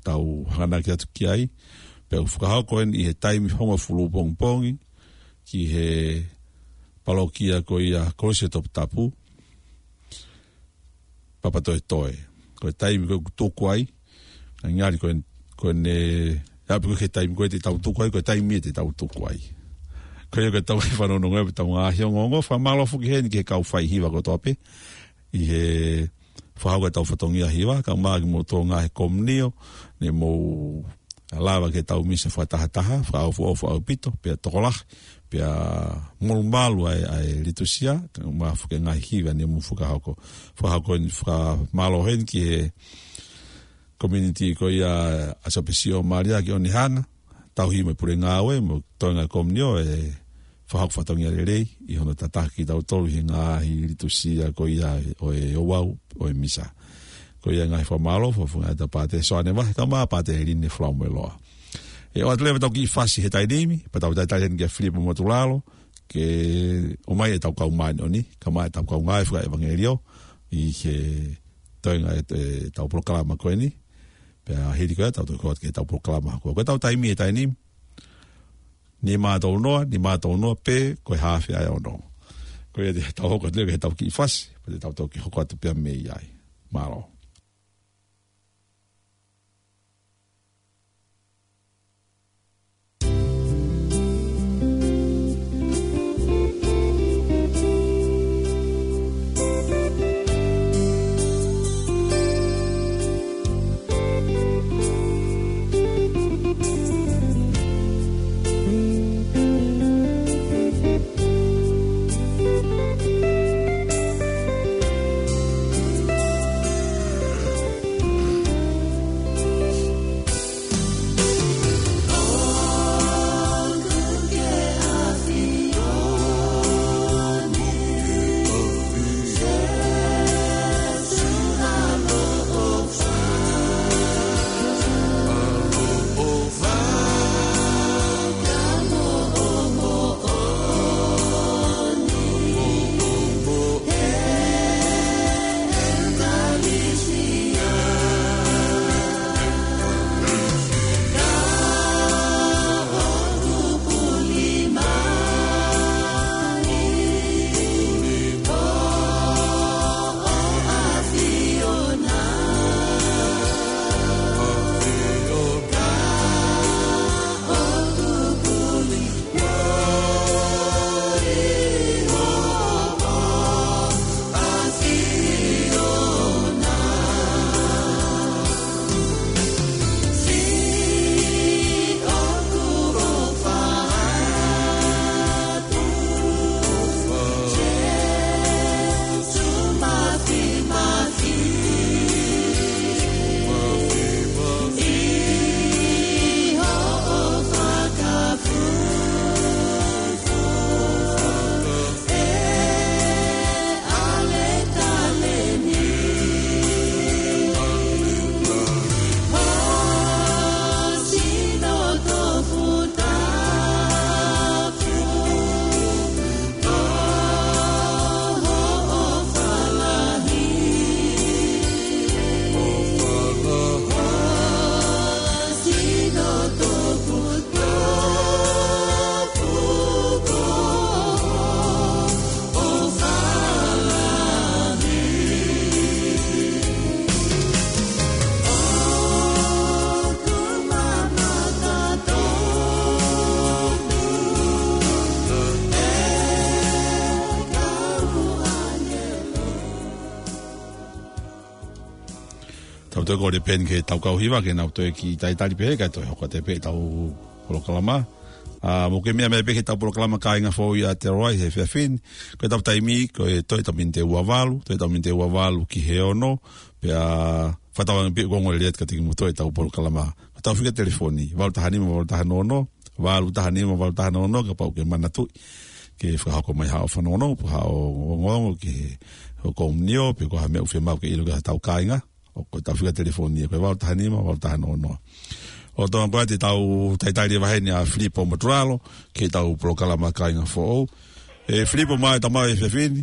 tau hanganaki atu ki ai, pea ʻoku fakahoko eni ʻi he taimi hongofulu pongipongi, ki he palokia ko ia Kolose Toputapu, Papatoetoe. Ko e taimi ko ē ʻoku tuku ai, ngali ko e, ko ʻene, ʻapi ko ē ki he taimi ko ē te tau tuku ai, ko e taimi ia te tau tuku ai. Ko ia ko e tau fanongonongo, tau ngaahi ongoongo, fakamālō foki heni ki he kau fai hiva kotoa pē, ʻi he fakahoko e tau fatongia hiva, kae ʻumaʻā kimoutolu ngaahi komiunio, ne mou lava ki he tau misa fakatahataha, fakaʻofoʻofa ʻaupito, pea tokolahi, pea molumalu ʻa e, ʻa e litusia, kae ʻumaʻā foki e ngaahi hiva ne mou fakahoko. Fakahoko eni, fakamālō heni ki he community ko ia ʻa Sopesio Malia ki Onehunga, tauhi mo e pule ngāue, mo e toenga komiunio e fakahoko fatongia lelei, ʻi hono tataki kitautolu ʻi he ngaahi litusia ko ia ʻo e ouau ʻo e misa. Ko ia ngaahi fakamālō, fakafofonga atu Pātele Soane Vahe, kae ʻumaʻā Pātele Line Falaomeloa. ʻE ʻoatu leva tau kiʻi fasi he taimi ni, pea tau talitali heni kia Filipo Motulalo, ke ʻomai e tau kau māʻoniʻoni, kae ʻumaʻā e tau kau ngāue fakaʻevangeliō, ʻi he toenga e, e tau polokalama ko eni, pea hili ko ia, tau toki hoko atu ki he tau polokalama hoko. Ko e tau taimi he taimi ni, nima ʻo tau noa, nima ʻo tau noa, pe ko e haafe ʻa e ono. Ko ia te tau hoko atu ki he tau kiʻi fasi, pea te tau toki hoko atu pea mei ai. Mālō. Tau toe kole pē eni ki he tau kau hiva ke nau toe kiʻi talitali pē, kae toe hoko atu pē ʻetau polokalama. ʻA, mou ke meʻa mai pē ki heʻetau polokalama Kāinga Foʻou ʻi Aotearoa he efiafi ni. Ko ʻetau taimi, ko e toe ʻetau miniti ua valu, toe ʻetau miniti ua valu ki he ono, pea fakatauange pē ʻoku ongo lelei atu kiate kimoutolu ʻetau polokalama. Ko ʻetau fika telefoni, valu taha nima, valu taha nono, valu taha nima, valu taha nono, kapau ʻoku ke manatuʻi ke fakahoko mai haʻo fanongonongo, pe haʻo ongoongo ki he, ho komunio, pe ko ha meʻa ʻoku fiemaʻu ke ʻilo ki heʻetau kāinga. ʻOku, ko ʻetau fika telefoni ia, ko e valu taha nima, valu taha nono. ʻOku tau ʻoatu ʻetau talitali vahe ni ʻa Filipo Maturalo, ki heʻetau polokalama Kāinga Foʻou. ʻE Filipo, mālō e tau maʻu e efiafi ni.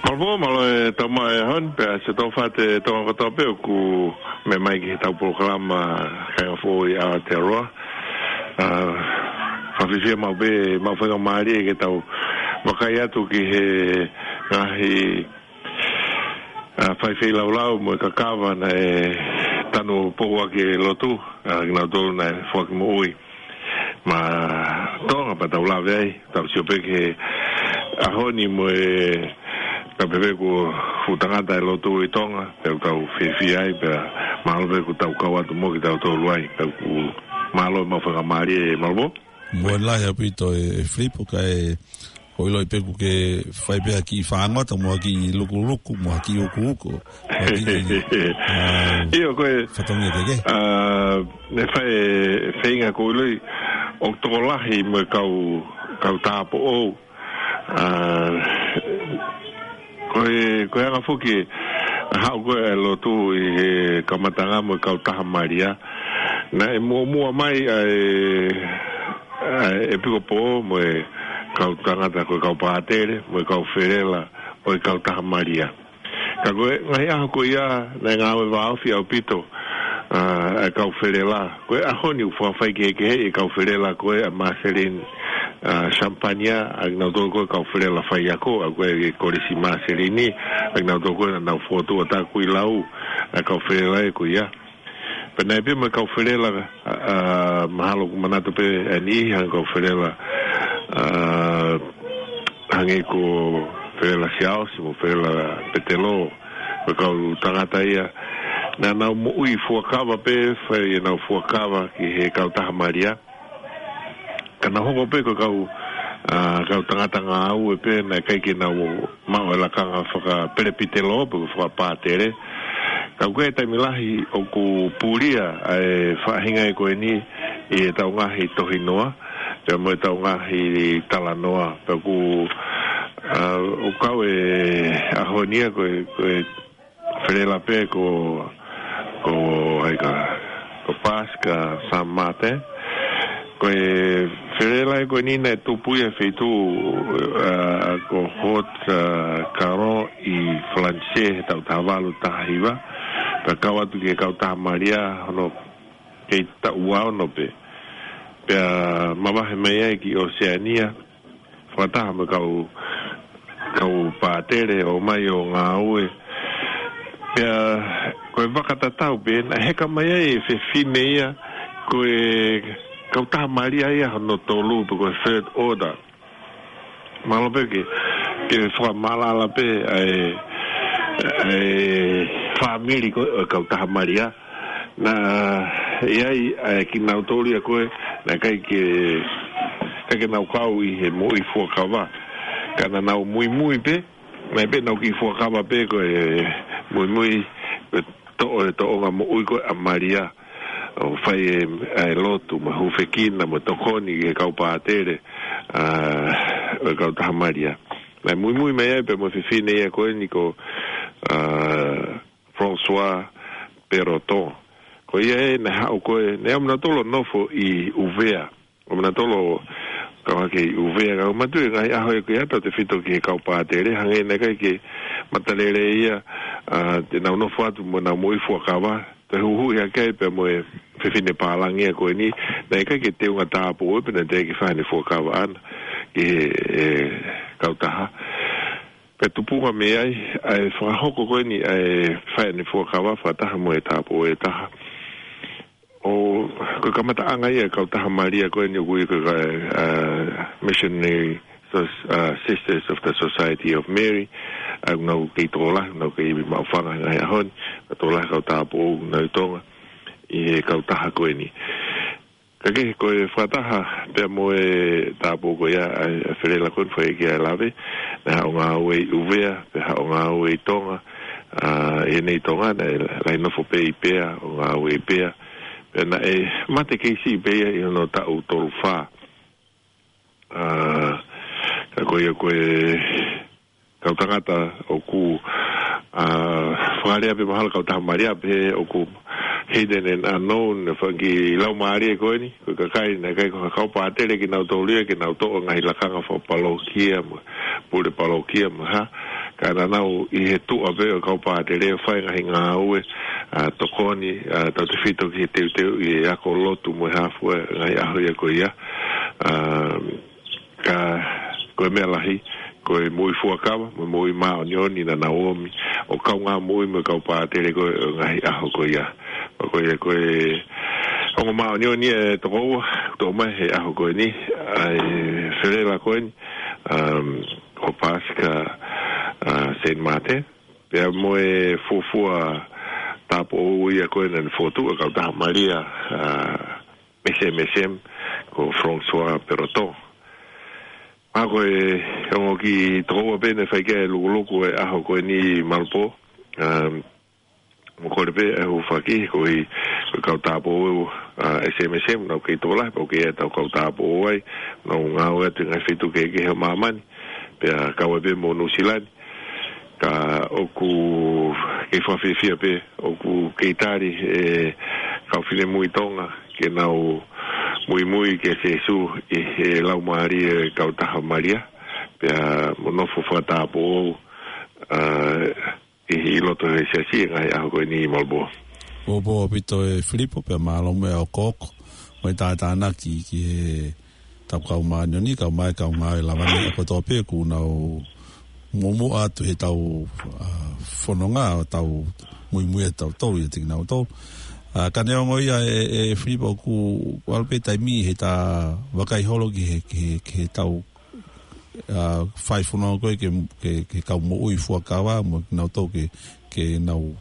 Mālō, mālō e tau maʻu e ʻaho ni, pea ʻoatu e fakamālō atu kiate kimoutolu kotoa pē ʻoku meʻa mai ki heʻetau polokalama Kāinga Foʻou ʻi Aotearoa. ʻA, fakafiefia maʻu pē, maʻu faingamālie ke tau vakai atu ki he ngaahi ʻa, faifeʻiloaki mo e kakava naʻe tanu ʻo poupouaki e lotu, ʻa, kinautolu naʻe foaki moʻui maʻa Tonga pea tau lave ai, tau sio pē ki he ʻaho ni mo e, ka pehē kuo fuʻu tangata e lotu ʻi Tonga, pea tau fiefia ai, pea mālō pē kuo tau kau atu mo kitautolu ai, pea ʻoku mālō e maʻu faingamālie, mālō. Mālō lahi ʻaupito e, e Filipo, kae ʻoku ou ʻiloʻi pē ʻoku ke fai pē ha kiʻi fāngota, mo ha kiʻi lukuluku, mo ha kiʻi ukuuku. Mo ha kiʻi, ʻa, ʻio, ko e, fatongia kehekehe. ʻA, ne fai e feinga, ʻoku ou ʻiloʻi ʻoku tokolahi mo e kau, kau tāupoʻou. ʻA, ko e, ko e anga foki ʻa e haʻu ko ē e lotu ʻi he kamataʻanga mo e kautaha Malia. Naʻe muʻomuʻa mai ʻa e, ʻa e ʻEpikopō mo e kau tangata ko e kau pātele, mo e kau felela ʻo e kautaha Malia. Ka ko e ngaahi ʻaho ko ia, naʻe ngāue vāofi ʻaupito, ʻa, ʻa e kau felela. Ko e ʻaho ni ʻoku fakafaikehekeheʻi e kau felela ko ē ʻa Marceline, ʻa, Champagne, ʻa kinautolu ko e kau felela faiako, ʻa ko e Kolisi Marceline, ʻa kinautolu ko ē naʻa nau fokotuʻu ʻa Takuilau, ʻa e kau felela ē ko ia. Pea naʻe pehē mo e kau felela, ʻa, ʻa, mahalo ʻoku manatu pē ʻa e niʻihi, hangē ko e kau felela, ʻa, hangē ko Felela Siaosi mo Felela Petelo, ko e kau tangata ia naʻa nau moʻui fuakava pē, fai ʻenau fuakava ki he kautaha Malia. Ka nau hoko pē ko e kau, ʻa, kau tangata ngāue pē, naʻe ʻikai ke nau maʻu e lakanga fakapelepitelo pe ko e fakapātele. Ka ʻoku ʻi ai e taimi lahi ʻoku pulia ʻa e faʻahinga ē ko eni ʻi heʻetau ngaahi tohinoa, pea mo ʻetau ngaahi talanoa. Pea ʻoku, ʻa, ʻoku kau e ʻaho ni ia ko e, ko e felela pē ko, ko, ʻai ka, ko Pasika San Martin. Ko e felela ē ko eni naʻe tupu ia he feituʻu, ʻa, ko Haute, ʻa, Garonne ʻi Falanisē he taʻu taha valu taha hiva. Pea kau atu ki he kautaha Malia hono kei taʻu ua ono pē. Pea mavahe mai ai ki ʻOseania, fakataha mo e kau, kau pātele ʻo mai ʻo ngāue. Pea ko e vaka tatau pē, naʻe heka mai ai e fefine ia, ko e kautaha Malia ia hono tolu, pe ko e third order. Mahalo pē ke, ke fakamaʻalaʻala pē ʻa e, ʻa e fāmili ko ē ʻo e kautaha Malia. Naʻe ʻi ai ʻa e kinautolu ia ko ē, naʻe ʻikai ke, ʻikai ke nau kau ʻi he moʻui fuakava. Ka naʻa nau muimui pē, naʻe pē nau kiʻi fuakava pē ko e muimui, ko e toʻo e tōʻonga moʻui ko ē ʻa Malia. ʻO fai e, ʻa e lotu, mo e hūfekina, mo e tokoni ki he kau pātele, ʻa, ʻo e kautaha Malia. Naʻe muimui mai ai pē mo e fefine ia ko eni ko, ʻa, François Perroton. Ko ia ē naʻe haʻu ko ē, naʻe ʻamanatolu ʻo nofo ʻi ʻUvea. ʻAmanatolu ʻo kau hake ʻi ʻUvea, ka ʻoku mātuʻaki ngaahi ʻaho ē ko ia tautefito ki he kau pātele, hangē naʻe ʻikai ke matalele ia, ʻa, te nau nofo atu mo ʻenau moʻui fuakava, toe huhuʻi hake ai pea mo e fefine pālangi ia ko eni, naʻe ʻikai ke teunga tāupoʻou pē naʻe teʻeki ke fai haʻane fuakava ʻaʻana ki he, e, kautaha. Pea tupunga mei ai, ʻa e fakahoko ko eni, ʻa e fai haʻane fuakava fakataha mo e tāupoʻou ʻe taha. ʻO, ko e kamataʻanga ia e kautaha Malia ko eni ʻoku ui ko e, ʻa, Missionary Sos-, ʻa, Sisters of the Society of Mary. ʻa ʻenau kei tokolahi, ʻenau kei maʻufanga he ngaahi ʻaho ni, ka tokolahi kau tāupoʻou ʻoku nau ʻi Tonga ʻi he kautaha ko eni. Ka ke ko e fakataha pea mo e tāupoʻou ko ia ʻa e, ʻa e felelako ni fai ki ai e lave, naʻe haʻu ʻo ngāue ʻi ʻUvea, pea haʻu ʻo ngāue ʻi Tonga, ʻa, ʻi heʻene ʻi Tonga, naʻe lahi nofo pē ʻi Pea, ʻo ngāue ʻi Pea, pea naʻe mate kei siʻi pē ia ʻi hono taʻu tolu fā. ʻA, ka ko ia ko e kau tangata ʻoku, ʻa, fakalea pē mahalo kautaha Malia pē ʻoku hidden and unknown, ʻa e fanga kiʻi laumālie ko eni, ko e kakai naʻe ʻikai ko ha kau pātele kinautolu ia ke nau toʻo ngaahi lakanga fakapalōkia mo e pule palōkia mo e hā. Ka naʻa nau ʻi he tuʻa pē ʻo e kau pātele ʻo fai ngaahi ngāue, ʻa, tokoni, ʻa, tautefito ki he teuteuʻi e ako lotu mo e hā fua ngaahi ʻaho ia ko ia. ʻA, ka ko e meʻa lahi, ko e moʻui fuakava, mo e moʻui māʻoniʻoni naʻa nau ōmi ʻo kaungā moʻui mo e kau pātele ko e ngaahi ʻaho ko ia. Pea ko ia ko e ongo māʻoniʻoni ʻe toko ua, toʻo mai he ʻaho ko eni, ʻa e felelako eni, um, ʻo Pasika, ʻa, Saint Martin, pea mo e fuofua tāupoʻou ia ko ena naʻe fokotuʻu ʻe he kautaha Malia, ʻa, S M S M, ko François Peroton. ʻA ko e ongo kiʻi toko ua pē naʻe fai ki ai e lukuluku ʻo e ʻaho ko eni Malupō. Um, mo kole pē ʻa e hūfaki, ko e, ko e kau tāupoʻou, ʻa, S M S M, naʻa nau kei tokolahi, pea ʻoku ʻi ai ʻetau kau tāupoʻou ai, naʻa nau ngāue atu ʻi he ngaahi feituʻu kehekehe ʻo māmani, pea kau ai pē mo Nuʻusila ni. Ka ʻoku kei fakafiefia pē, ʻoku kei tali ʻe he kau finemui Tonga ke nau muimui kia Sīsū ʻi he laumālie ʻo e kautaha Malia, pea mo nofo fakatāupoʻou, ʻa, ʻi, ʻi loto he siasi ʻi he ngaahi ʻaho ko eni Malupō. Pōpō ʻaupito ʻe Filipo, pea mālō muʻa e ʻokoʻoko mo e tātānaki ki he tau kau māʻoniʻoni, kau mai, kau ngāue lava ni ʻa kotoa pē ʻoku nau muʻomuʻa atu he tau, ʻa, fononga, ʻo tau muimui ʻa tautolu ʻiate kinautolu. ʻA, ka neongo ia ʻe, ʻe Filipo ʻoku ʻalu pē taimi he ta vakai holo ki he, ki he, ki he tau, ʻa, fai fononga ko ē ke, ke, ke kau moʻui fuakava, mo kinautolu ke, ke nau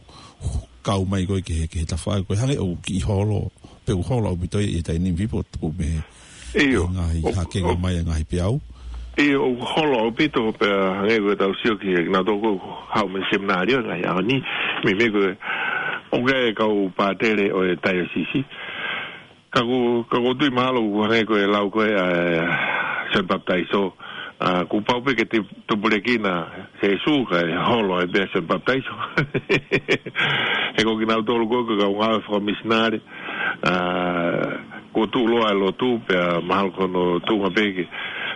kau mai ko ē ki he, ki he tafaʻaki ko ē hangē ʻoku kiʻi holo, pe ʻoku holo ʻaupito ʻi he taimi ni Filipo tuku mei he ʻIo. Ngaahi ʻo, hakenga ʻo, mai e ngaahi peau. ʻIo, ʻoku holo ʻaupito pea hangē ko e tau sio ki he, kinautolu ʻoku haʻu mei he seminalio he ngaahi ʻaho ni, meimei ko e, ʻoku ʻi ai e kau pātele ʻo e taiosisi. Ka ʻoku, ka ʻoku ou tui mahalo ʻoku hangē ko e lau ko ē ʻa e Sione Papitaiso, ʻa, kuo pau pē ke te tupulekina Sīsū kae holo ai pē ʻa Sione Papitaiso. He ko kinautolu ko ē ko e kau ngāue fakamisinale, ʻa, kuo tuʻuloa e lotu, pea mahalo ko hono tuʻunga pē ke,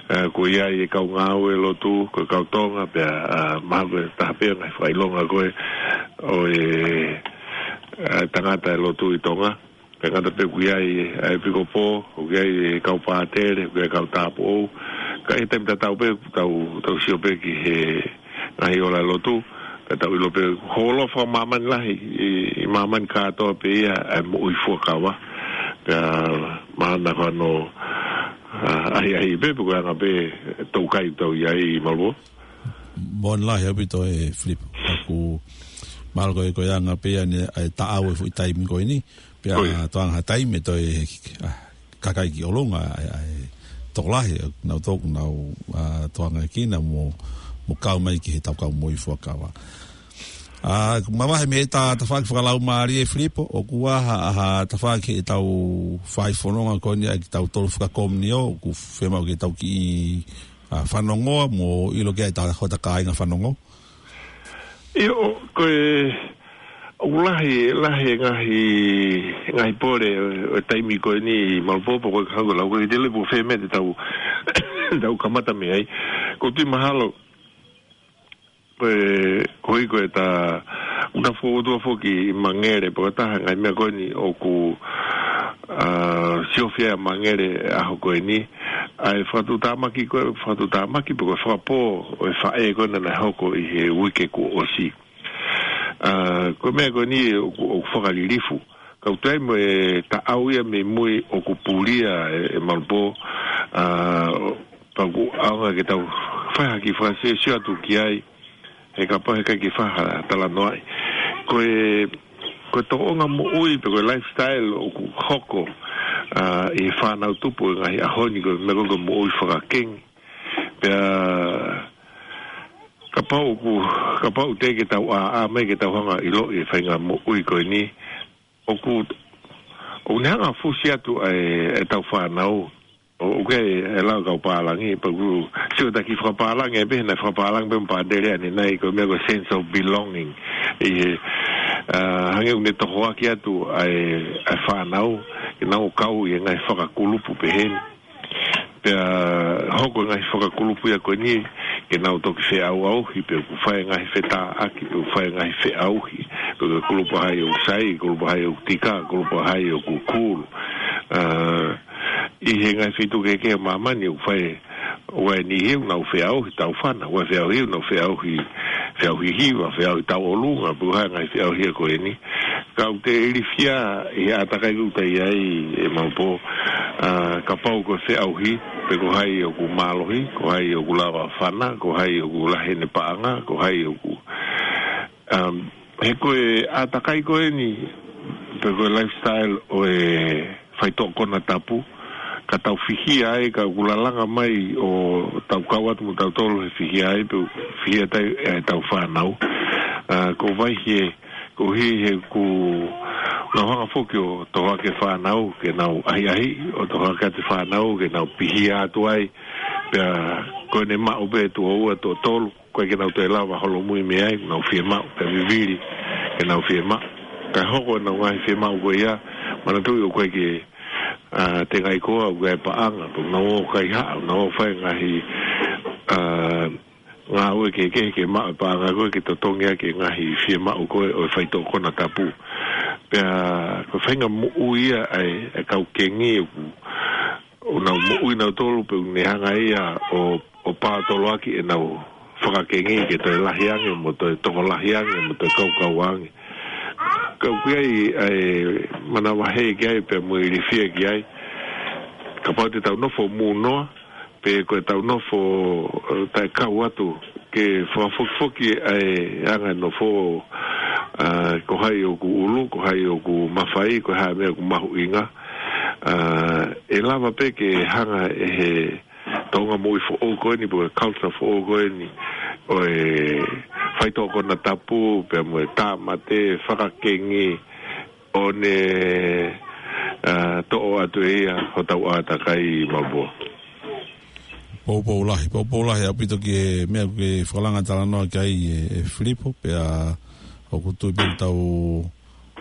ʻa, kuo ʻi ai e kau ngāue lotu, ko e kau Tonga, pea, ʻa, mahalo ko e taha pē ngaahi fakaʻilonga ko ē ʻo e, ʻa, tangata e lotu ʻi Tonga. Pea ngata pē ʻoku ʻi ai ʻa e ʻepikopō, ʻoku ʻi ai e kau pātele, ʻoku ʻi ai e kau tāupoʻou. Ka ʻi he taimi tatau pē, tau, tau sio pē ki he ngaahi ola lotu, pea tau ʻilo pē holo fakamāmani lahi, ʻi, ʻi māmani kātoa pē ia ʻa e moʻui fuakava. Pea mahalo ko hono, ʻa, ʻahiʻahiʻi pē, pe ko e anga pē tau kai tau ʻi ai Malupō. Moʻoni lahi ʻaupito ʻe Filipo. ʻOku mahalo ko e, ko e anga pē ia ʻa e taʻau e foʻi taimi ko eni. Pea ʻOi. Toanga ha taimi ʻe toe, ʻa, kakai ki ʻolunga, ʻa, ʻa, tokolahi, nau toku, nau, ʻa, toanga kina mo, mo kau mai ki he tau kau moʻui fuakava. ʻA, mavahe mei he ta, tafaʻaki fakalaumālie Filipo, ʻoku ʻi ai ha, ha tafaʻaki he tau fai fononga ko eni ʻa e tau tolu fakakomunio, ʻoku fiemaʻu ke tau kiʻi, ʻa, fanongoa mo ʻilo ki ai ʻa e ta, hota kāinga fanongo. ʻIo, ko e, ʻoku lahi, lahi e ngaahi, ngaahi pole ʻo e taimi ko eni Malupō, ko e hangē ko e lau ko ē te lepu fē meʻa te tau, tau kamata mei ai. ʻOku ou tui mahalo, ko e, ko e, ko e ta, ʻoku ta fokotuʻu foki ʻi Mangere, pe ko e taha ngaahi meʻa ko eni ʻoku, ʻa, siofia ʻa Mangere ʻaho ko eni, ʻa e fakatuʻutāmaki ko e, fakatuʻutāmaki pe ko e fakapō ʻo e faʻē ko ena naʻe hoko ʻi he uike kuo ʻosi. ʻA, ko e meʻa ko eni ʻoku, ʻoku fakalilifu. Ka ʻoku toe ʻi ai mo e taʻau ia mei mui ʻoku pulia ʻe, ʻe Malupō, ʻa, pea ʻoku ʻaonga ke tau fai ha kiʻi fakasiosio atu ki ai, He kapau he ʻikai ke fai ha talanoaʻi. Ko e, ko e tōʻonga moʻui pe ko e lifestyle ʻoku hoko, ʻa, ʻi he fānau tupu ʻi he ngaahi ʻaho ni, ko e meʻa ko ē ko e moʻui fakakengi. Pea kapau ʻoku, kapau te ke tau ʻā, ʻā mai ke tau hanga ʻo ʻiloʻi e faʻahinga moʻui ko eni. ʻOku, ʻoku ne hanga ʻo fusi atu ʻa e, ʻetau fānau. ʻO, ʻoku ʻi ai e lau kau pālangi, pea ʻoku, sio taki fakapālangi, ʻe pehē naʻe fakapālangi pē mo Pātele ʻanenai, ko e meʻa ko e sense of belonging. ʻI he, ʻa, hangē ʻoku ne tohoaki atu ʻa e, ʻa e fānau, ke nau kau ʻi he ngaahi fakakulupu pehē ni. Pea hoko e ngaahi fakakulupu ia ko eni, ke nau toki feʻauʻauhi, pe ʻoku fai e ngaahi fetāʻaki, pe ʻoku fai e ngaahi feʻauhi, pe ko e kulupu ʻa hai ʻoku sai, kulupu ʻa hai ʻoku tika, kulupu ʻa hai ʻoku cool. ʻA, ʻi he ngaahi feituʻu kehekehe ʻo māmani ʻoku fai, ʻoku ʻi ai e niʻihi ʻoku nau feʻauhi taufana, ʻoku ʻi ai e feʻauhi ʻoku nau feʻauhi, feʻauhi hiva, feʻauhi tauʻolunga, pe ko e hā e ngaahi feʻauhi ia ko eni. Ka ʻoku te ilifia ʻi he ʻātakai ʻoku te ʻi ai ʻe Maʻupō, ʻa, kapau ko e feʻauhi, pe ko hai ʻoku mālohi, ko hai ʻoku lava fana, ko hai ʻoku lahi ʻene paʻanga, ko hai ʻoku, um, he ko e ʻātakai ko eni, pe ko e lifestyle ʻo e faitoʻo konatapu, ka tau fihia ai, ka ʻoku lalanga mai ʻo tau kau atu mo tautolu he fihia ai, pe fihia tai ʻetau fānau. ʻA, ko e vahe, ko e hā he ʻoku nau hanga foki ʻo tohoaki e fānau ke nau ʻahiʻahi, ʻo tohoaki atu e fānau ke nau pihia atu ai, pea ko ʻene maʻu pē tuʻo ua, tuʻo tolu, ʻoku ʻikai ke nau toe lava holomui mei ai, nau fiemaʻu, pea vivili ke nau fiemaʻu. Ka hoko ʻenau ngaahi fiemaʻu ko ia, manatuʻi ʻoku ʻikai ke, ʻa, tengaʻi koa, ʻoku ʻi ai e paʻanga, pe ʻoku nau ō kaihaʻa, ʻoku nau ō fai e ngaahi, ʻa, ngāue kehekehe ke maʻu e paʻanga ko ē ke totongi ʻaki e ngaahi fiemaʻu ko ē ʻo e faitoʻo konatapu. Pea ko e faʻahinga moʻui ia ʻa e, ʻa e kau kengi ʻoku, ʻoku nau moʻui nautolu pea ʻoku ne hanga ia ʻo, ʻo paotoloaki ʻenau fakakengi ke toe lahi ange, mo toe tokolahi ange, mo toe kaukau ange. Ka ʻoku ʻi ai ʻa e manavahē ki ai, pea mo e ilifia ki ai. Kapau te tau nofo mūnoa, pe ko ʻetau nofo, ʻe, taʻekau atu, ke fakafokifoki ʻa e anga e nofo, ʻa, ko hai ʻoku ʻulu, ko hai ʻoku mafai, ko e hā e meʻa ʻoku mahuʻinga. ʻA, ʻe lava pē ke hanga ʻe he tōʻonga moʻui foʻou ko eni, pe ko e culture foʻou ko eni, ʻo e faitoʻo konatapu, pea mo e tāmate, fakakengi, ʻo ne, ʻa, toʻo atu ʻe ia hotau ʻātakai Maʻupō. Poupou lahi, poupou lahi ʻaupito ki he meʻa ʻoku ke fakalanga talanoa ki ai ʻe, ʻe Filipo, pea ʻoku tui pē ʻoku tau,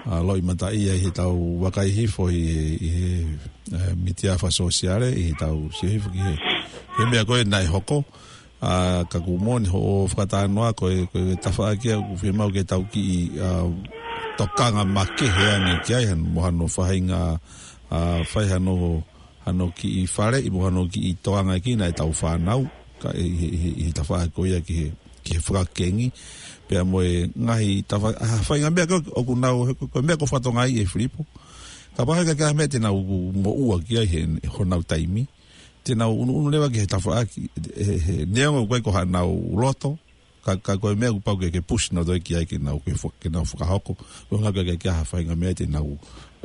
ʻa, loʻimataʻia ʻi heʻetau vakai hifo ʻi, ʻi he, ʻe, mītia fakasōsiale, ʻi heʻetau sio hifo ki he, he meʻa ko ē naʻe hoko, ʻa, ka ʻoku moʻoni hoʻo fakatalanoa ko e, ko e tafaʻaki ia ʻoku fiemaʻu ke tau kiʻi, ʻa, tokanga makehe ange ki ai, hano, mo hano faʻahinga, ʻa, fai hano, hano kiʻi faleʻi, mo hano kiʻi tokangaʻi ʻetau fānau, ka ʻi he, ʻi he, ʻi he tafaʻaki ko ia ki he, ki he fakakengi, pea mo e ngaahi tafa-, ʻa, faʻahinga meʻa ko ē ʻoku nau, ko e, ko e meʻa ʻoku fakatokangaʻi ʻe Filipo. Kapau he ʻikai ke ʻi ai ha meʻa te nau moʻua ki ai he, honau taimi. Te nau ʻunuʻunu leva ki he tafaʻaki, he, he, neongo ʻoku ʻikai ko haʻanau loto, ka, ka ko e meʻa ʻoku pau ke, ke push nautolu ki ai ke nau, ke fo-, ke nau fakahoko. Ko e ʻuhinga ʻoku ʻikai ke ʻi ai ha faʻahinga meʻa te nau,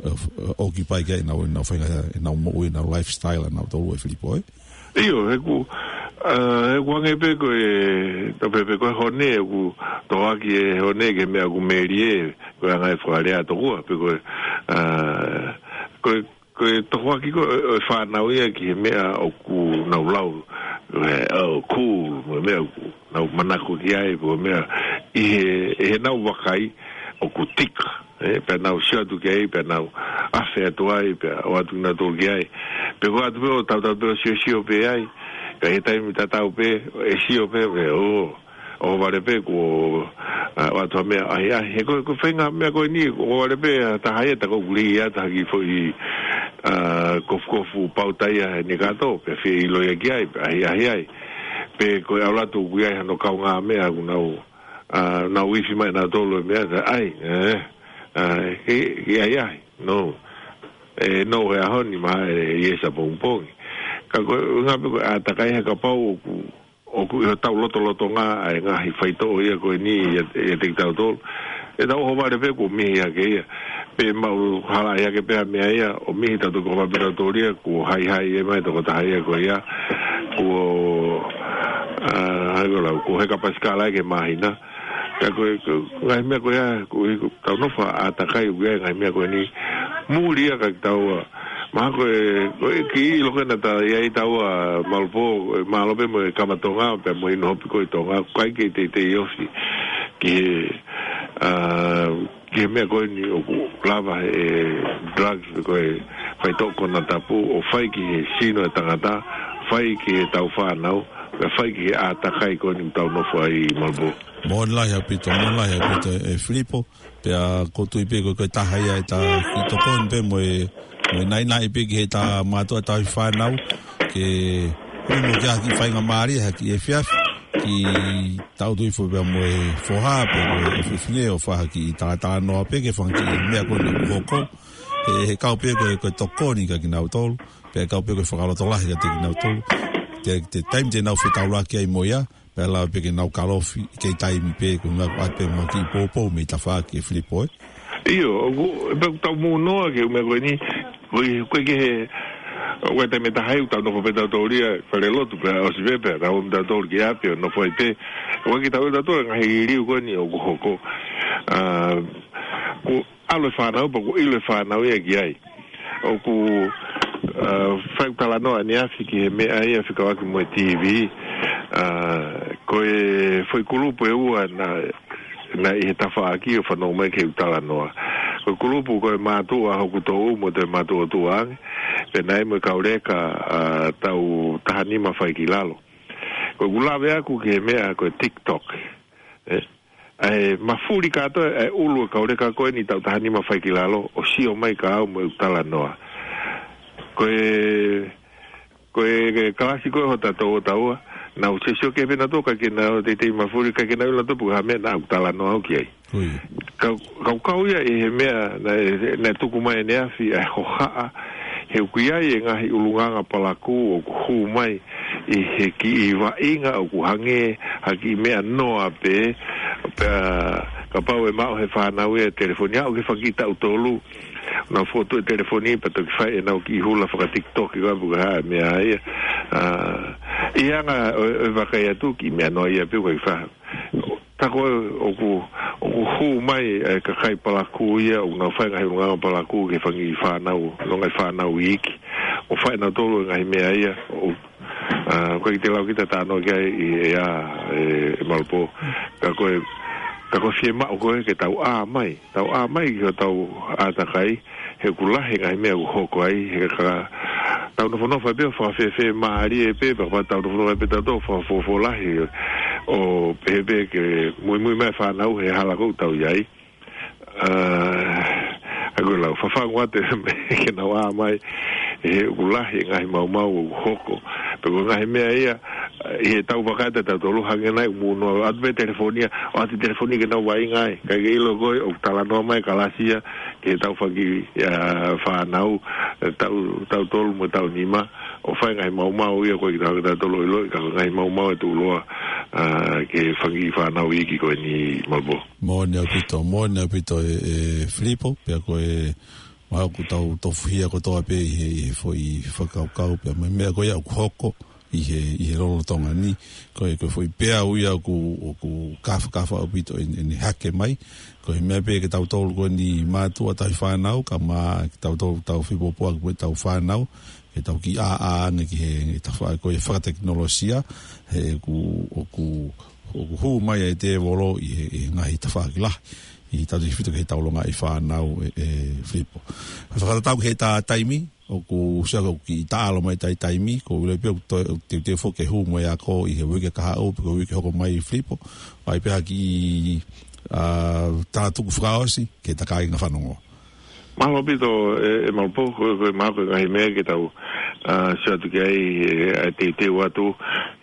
ʻe, f-, ʻe, occupy ki ai ʻenau, ʻenau faʻahinga, ʻenau moʻui, ʻenau lifestyle, ʻanautolu ʻe Filipo, ē? ʻIo, he ʻoku, ʻa, he ʻoku hangē pē ko e, tau pehē pē ko e hone, ʻoku tohoaki e hone ki he meʻa ʻoku melie, ko e anga e fakalea tokua, pe ko e, ʻa, ko e, ko e tohoaki ko ē ʻo e fānau ia ki he meʻa ʻoku nau lau, ʻe, ʻo cool, mo e meʻa ʻoku nau manako ki ai, pe ko e meʻa ʻi he, ʻi heʻenau vakai ʻoku tika, ē, pea nau sio atu ki ai, pea nau afe atu ai, pea ō atu kinautolu ki ai. Pe ko e ʻatu pē ʻo tautau pē ʻo siosio pē ai, ka ʻi he taimi tatau pē, ʻe sio pē, pea ō, ʻohovale pē kuo, ʻa, ʻoatu ha meʻa ʻahiʻahi. He ko e, ko e faʻahinga meʻa ko eni, ʻohovale pē ha taha ia, tā ko ʻoku lī ia, tā ha kiʻi foʻi, ʻa, kofukofu pauta ia he nekato, pea fie ʻilo ia ki ai, pea ʻahiʻahi ai. Pe ko e ʻalu atu ʻoku ʻi ai hano kaungāmeʻa ʻoku nau, ʻa, nau ifi mai nautolu e meʻa, tā, ʻai, ē, ʻa, ke, ke ʻahiʻahi, no. ʻE, no he ʻaho ni mā, ʻe, ʻi he ʻapongipongi. Ka ko e, ngā pē ko e ʻātakai he kapau ʻoku ʻoku ʻi hotau lotolotonga ʻa e ngaahi faitoʻo ia ko eni ia, ia te kitautolu. ʻE tau ʻohovale pē kuo mihi hake ia. Pea mau hala ia ke pea meʻa ia, ʻo mihi tautolu ko mapi tautolu ia, kuo haihai e mai tokotaha ia ko ia. Kuo, ʻa, hai ko lau, kuo heka pasikala ke māhina. Ka ko e, ko e, ngaahi meʻa ko ia, ko e, ko e, tau nofo ʻātakai ʻoku ʻi ai ngaahi meʻa ko eni. Muli ia ka tau, ʻa, mahalo ko e, ko e kiʻi ʻilo ko ē naʻa ta ʻi ai taua Malupō, ʻe mālō pē mo e kama Tonga, pea mo e inu hopi ko ē Tonga, ʻoku ʻikai ke teitei ofi ki he, ʻa, ki he meʻa ko eni ʻoku lava he drugs pe ko e faitoʻo konatapu, ʻo fai ki he sino e tangata, fai ki he tau fānau, pea fai ki he ʻātakai ko eni ʻoku tau nofo ai Malupō. Moʻoni lahi ʻaupito, moʻoni lahi ʻaupito ē Filipo, pea ʻoku ou tui pē ko e, ko e taha ia ʻeta kiʻi tokoni pē mo e, mo e naʻinaʻi pē ki heʻeta mātuʻa tauhi fānau, ke ʻunu ki ha kiʻi faingamālie, ha kiʻi efiafi, ki tautolu hifo pea mo e foha, pea mo e fefine ʻo fai ha kiʻi talatalanoa pē ki he fanga kiʻi meʻa ko eni ʻoku hoko, he, he kau pē ko e, ko e tokoni kia kinautolu, pea kau pē ko e fakalotolahi kiate kinautolu. Te, te taimi te nau fetaulaki ai mo ia, pea lava pē ke nau kalofi, kei taimi pē, ko e ngaahi ʻoatu pē mo e kiʻi poupou mei tafaʻaki ē Filipo ē. ʻIo, ʻoku, pea ʻoku tau mou noa ki he meʻa ko eni, ko e, ko e ki he, ʻoku ʻi ai e taimi ʻe taha ʻoku tau nofo pē tautolu ia, fale lotu pea ʻosi pē pea, tau ō tautolu ki ʻapi ʻo nofo ai pē. ʻOku ʻikai ke tau ʻilo tautolu ngaahi liliu ko eni ʻoku hoko. ʻA, ko ʻalu e fānau, pea ʻoku ʻilo e fānau ia ki ai. ʻOku, ʻa, fai ʻeku talanoa ʻaneafi ki he meʻa ia fekauʻaki mo e T V, ʻa, ko e foʻi kulupu ʻe ua naʻe, naʻe ʻi he tafaʻaki ʻo fanongo mai ki heʻeku talanoa. Ko e kulupu ko e mātuʻa hoku toʻu mo e mātuʻa ʻoku tuʻu ange, pea naʻe mo e kau leka, ʻa, tau taha nima fai ki lalo. Ko ʻeku lave ʻaku ki he meʻa ko e TikTok. ʻE, ʻa e mafuli kātoa ʻa e ʻulu e kau leka ko eni tau taha nima fai ki lalo, ʻo sio mai kia au mo ʻeku talanoa. Ko e, ko e, ko e kalasi ko ē hota tau ʻo taua, nau sio sio ki he pena tō, ʻikai ke nau teitei mafuli, ʻikai ke nau ʻilo nautolu pe ko e hā e meʻa naʻa ku talanoa au ki ai. Ko ia. Kau, kau kau ia ʻi he meʻa naʻe, naʻe tuku mai ʻaneafi ʻa e hohaʻa, he ʻoku ʻi ai e ngaahi ʻulungaanga palakū ʻoku hū mai ʻi he kiʻi vaʻinga ʻoku hangē ha kiʻi meʻa noa pē, pea kapau ʻe maʻu he fānau ia e telefoni, aʻu ki he fanga kiʻi taʻu tolu, nau fotu e telefoni, pea toki fai ʻenau kiʻi hula faka-TikTok, ʻikai pe ko e hā e meʻa ia. ʻA, ʻi he anga ʻo, ʻo e vakai atu, kiʻi meʻa noa ia pē ʻoku ʻikai fai. Ka ko e ʻoku, ʻoku hū mai e kakai palakū ia, ʻoku nau fai ngaahi ʻulungaanga palakū ki he fanga kiʻi fānau, ʻulungaanga fānau iiki. ʻO fai nautolu e ngaahi meʻa ia, ʻo, ʻa, ʻoku ʻikai te u lau kita talanoa ki ai ʻi he ʻea, ʻe, ʻe Malupō. Ka ko e, ka ko e fiemaʻu ko ē ke tau ʻā mai, tau ʻā mai ki hotau ʻātakai, he ʻoku lahi e ngaahi meʻa ʻoku hoko ai, he ka tau nofonofo ai pē ʻo fakafefe mālie pē, pea kapau tau nofonofo ai pē tautolu ʻo fakafuofua lahi, ʻo pehē pē ke muimui mai e fānau he hala ʻoku tau ʻi ai. ʻA, ʻa ko e lau, fafangu atu e meʻa ke nau ʻā mai, he ʻoku lahi e ngaahi maumau ʻoku hoko. Pea ko e ngaahi meʻa ia, ʻi he tau vaka ʻe tautolu hangē nai ʻoku mou noa atu pē telefoni ia, ʻoatu e telefoni ke nau vaʻinga ai. ʻIkai ke ʻilo ko ē, ʻoku talanoa mai e kalasi ia, ki he tau fanga kiʻi, ʻa, fānau, taʻu, taʻu tolu mo e taʻu nima, ʻo fai e ngaahi maumau ia ʻoku ʻikai ke tautolu ʻiloʻi, ka ko e ngaahi maumau ʻe tuʻuloa, ʻa, ki he fanga kiʻi fānau iiki ko eni Malupō. Moʻoni ʻaupito, moʻoni ʻaupito ē, ʻe Filipo, pea ko e, mahalo ʻoku tau tofuhia kotoa pē ʻi he, ʻi he foʻi fakakaukau, pea mo e meʻa ko ia ʻoku hoko, ʻi he, ʻi he lolotonga ni, ko e, ko e foʻi peau ia ʻoku, ʻoku kafakafa ʻaupito ʻene, ʻene hake mai, ko e meʻa pē ke tautolu ko eni mātuʻa tauhi fānau, kae ʻumaʻā ke tautolu tau fepōpoaki mo ʻetau fānau, ke tau kiʻi ʻā, ʻā ange ki he, he tafaʻaki ko e fakatekinolosia, he ʻoku, ʻoku, ʻoku hū mai ai e tēvolo ʻi he, he ngaahi tafaʻaki lahi, ʻi he tau tefito ki he tau longaʻi fānau ē, ʻe Filipo. Fakatatau ki he ta taimi, ʻoku sio ʻoku kiʻi taʻalo mai tai taimi, ko e ʻuhinga pē ʻoku toe, ʻoku teuteu foki ke hū mo e ako ʻi he uike kahaʻu, pe ko e uike hoko mai Filipo, ʻai pē ha kiʻi, ʻa, tala tuku fakaʻosi, ke ta kāinga fanongo. Mālō ʻaupito ē, ʻe Malupō, ko, ko e mahalo ko e ngaahi meʻa ke tau, ʻa, sio atu ki ai, ʻe, ʻa e teuteu atu,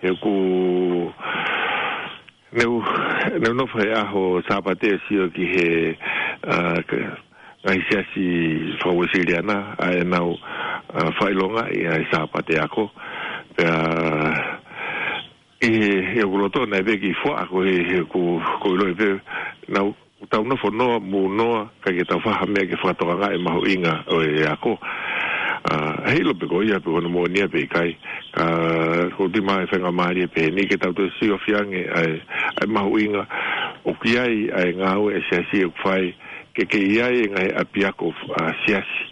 he ʻoku, neu, neu nofo he ʻaho Sāpate ʻo sio ki he, ʻa, ka, ngaahi siasi faka-Uēsiliana, ʻa ʻenau, ʻa, fakaʻilongaʻi ʻa e Sāpate ako. Pea, ʻI he, ʻi hoku loto naʻe pē kiʻi fuaʻa ko e, he ku, ko ʻilo pē, naʻa tau nofo noa, mou noa, ka ke tau fai ha meʻa ke fakatokangaʻi e mahuʻinga ʻo e ako. ʻA, heiʻilo pe ko ia, pe ko hono moʻoni ia pe ʻikai. Ka, ko e tui mai e faingamālie pehē ni ke tau toe siofi ange ʻa e, ʻa e mahuʻinga ʻoku ʻi ai ʻa e ngāue ʻa e siasi ʻoku fai, ke ke ʻi ai e ngaahi ʻapiako, ʻa, siasi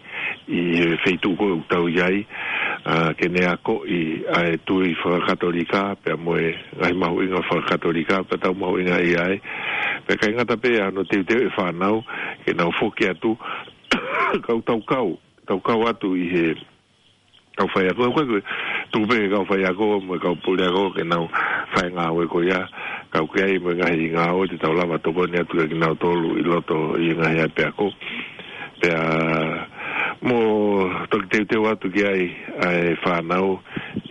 ʻi he feituʻu ko ē ʻoku tau ʻi ai, ʻa, ke ne akoʻi ʻa e tui fakakatolika, pea mo e ngaahi mahuʻinga fakakatolika, pea tau mahuʻingaʻia ai. Pea ʻikai ngata pē ʻa hono teuteu e fānau, ke nau foki atu, kau tau kau, tau kau atu ʻi he kau faiako, ko e, ko e, tuku pē ke kau faiako, mo e kau puleako, ke nau fai e ngāue ko ia, ka ʻoku ʻi ai mo e ngaahi ngāue te tau lava tokoni atu kia kinautolu ʻi loto ʻi he ngaahi ʻapiako. Pea mo toki teuteu atu ki ai ʻa e fānau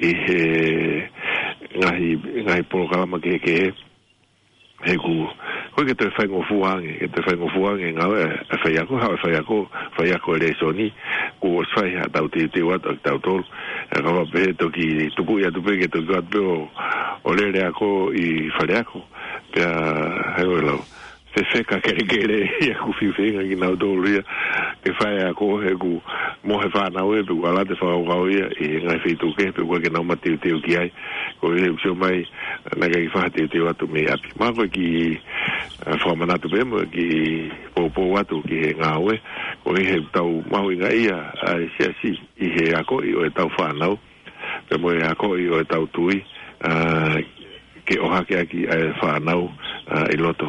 ʻi he ngaahi, ngaahi polokalama kehekehe. He ku, ko e ke toe faingofua ange, ke toe faingofua ange ngāue ʻa e faiako, haʻu e faiako, faiako e lēsoni, kuo ʻosi fai haʻatau teuteu atu ʻa kitautolu. ʻE ka ʻoua pē he toki tuku ia atu pē ke toki ʻoatu pē ʻo, ʻo lele ako ʻi faleako. Pea, hei ʻo e lau. Fefeka kelekele ia ʻoku fiu feinga kinautolu ia ke fai ako he ʻoku mohe fānau ē, pe ʻoku ala atu e fakakaukau ia ʻi he ngaahi feituʻu kehe pe ʻoku ʻikai ke nau mateuteu ki ai. Ko e ʻuhi ʻoku sio mai naʻe ʻikai ke fai ha teuteu atu mei ʻapi. Mahalo ko e kiʻi, ʻa, fakamanatu pē mo e kiʻi poupou atu ki he ngāue. Ko e ʻuhi he ʻoku tau mahuʻingaʻia ʻa e siasi ʻi he akoʻi ʻo ʻetau fānau, pea mo e akoʻi ʻo ʻetau tui, ʻa, ke ʻohake ʻaki ʻa e fānau, ʻa, ʻi loto.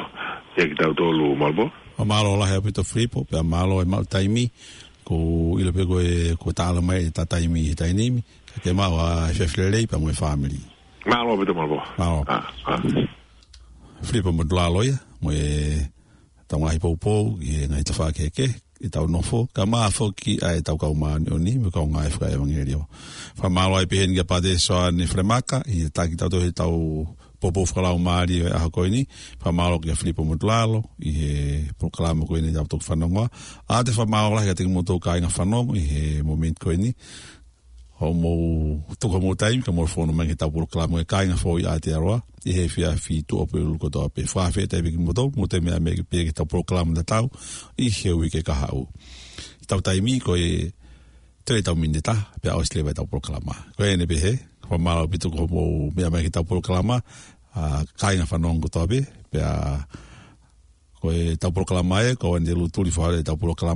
Kia kitautolu, Malibō. ʻO mālō lahi ʻaupito Filipo, pea mālō e maʻu taimi, ʻoku ou ʻilo pē ko e, kuo tāla mai e ta taimi he taimi ni, ka ke maʻu ʻa e efiafi lelei pea mo e fāmili. Mālō ʻaupito Malibō. Mālō. ʻA, ʻa. Filipo Motulalo ia, mo e tau ngaahi poupou, ʻi he ngaahi tafaʻaki kehekehe, ʻi heʻetau nofo, kae ʻumaʻā foki ʻa ʻetau kau māʻoniʻoni, mo e kau ngāue fakaʻevangeliō. Fakamālō ai pē heni kia Pātele Soane Falemaka, ʻi he taki tautolu heʻetau poupou fakalaumālie ʻo e ʻaho ko eni, fakamālō kia Filipo Motulalo, ʻi he polokalama ko eni ʻetau toki fanongoa. ʻA ia te fakamālō lahi kiate kimoutolu kāinga fanongo, ʻi he momeniti ko eni, hoʻomou tuku homou taimi, kae mou fonu mai ki heʻetau polokalama ko e Kāinga Foʻou ʻi Aotearoa, ʻi he efiafi Tuʻapulelulu kotoa pē. Fakafetaʻi pē kimoutolu, mou toe meʻa mai pē ki heʻetau polokalama tatau, ʻi he uike kahaʻu. ʻEtau taimi ko e toe ʻetau miniti ʻe taha, pea ʻosi leva ʻetau polokalama. Ko eni pē he, fakamālō ʻaupito hoʻomou meʻa mai ki heʻetau polokalama, ʻa, kāinga fanongo kotoa pē, pea ko ʻetau polokalama ē, ko eni te u tuli fakaholo ʻetau polokalama,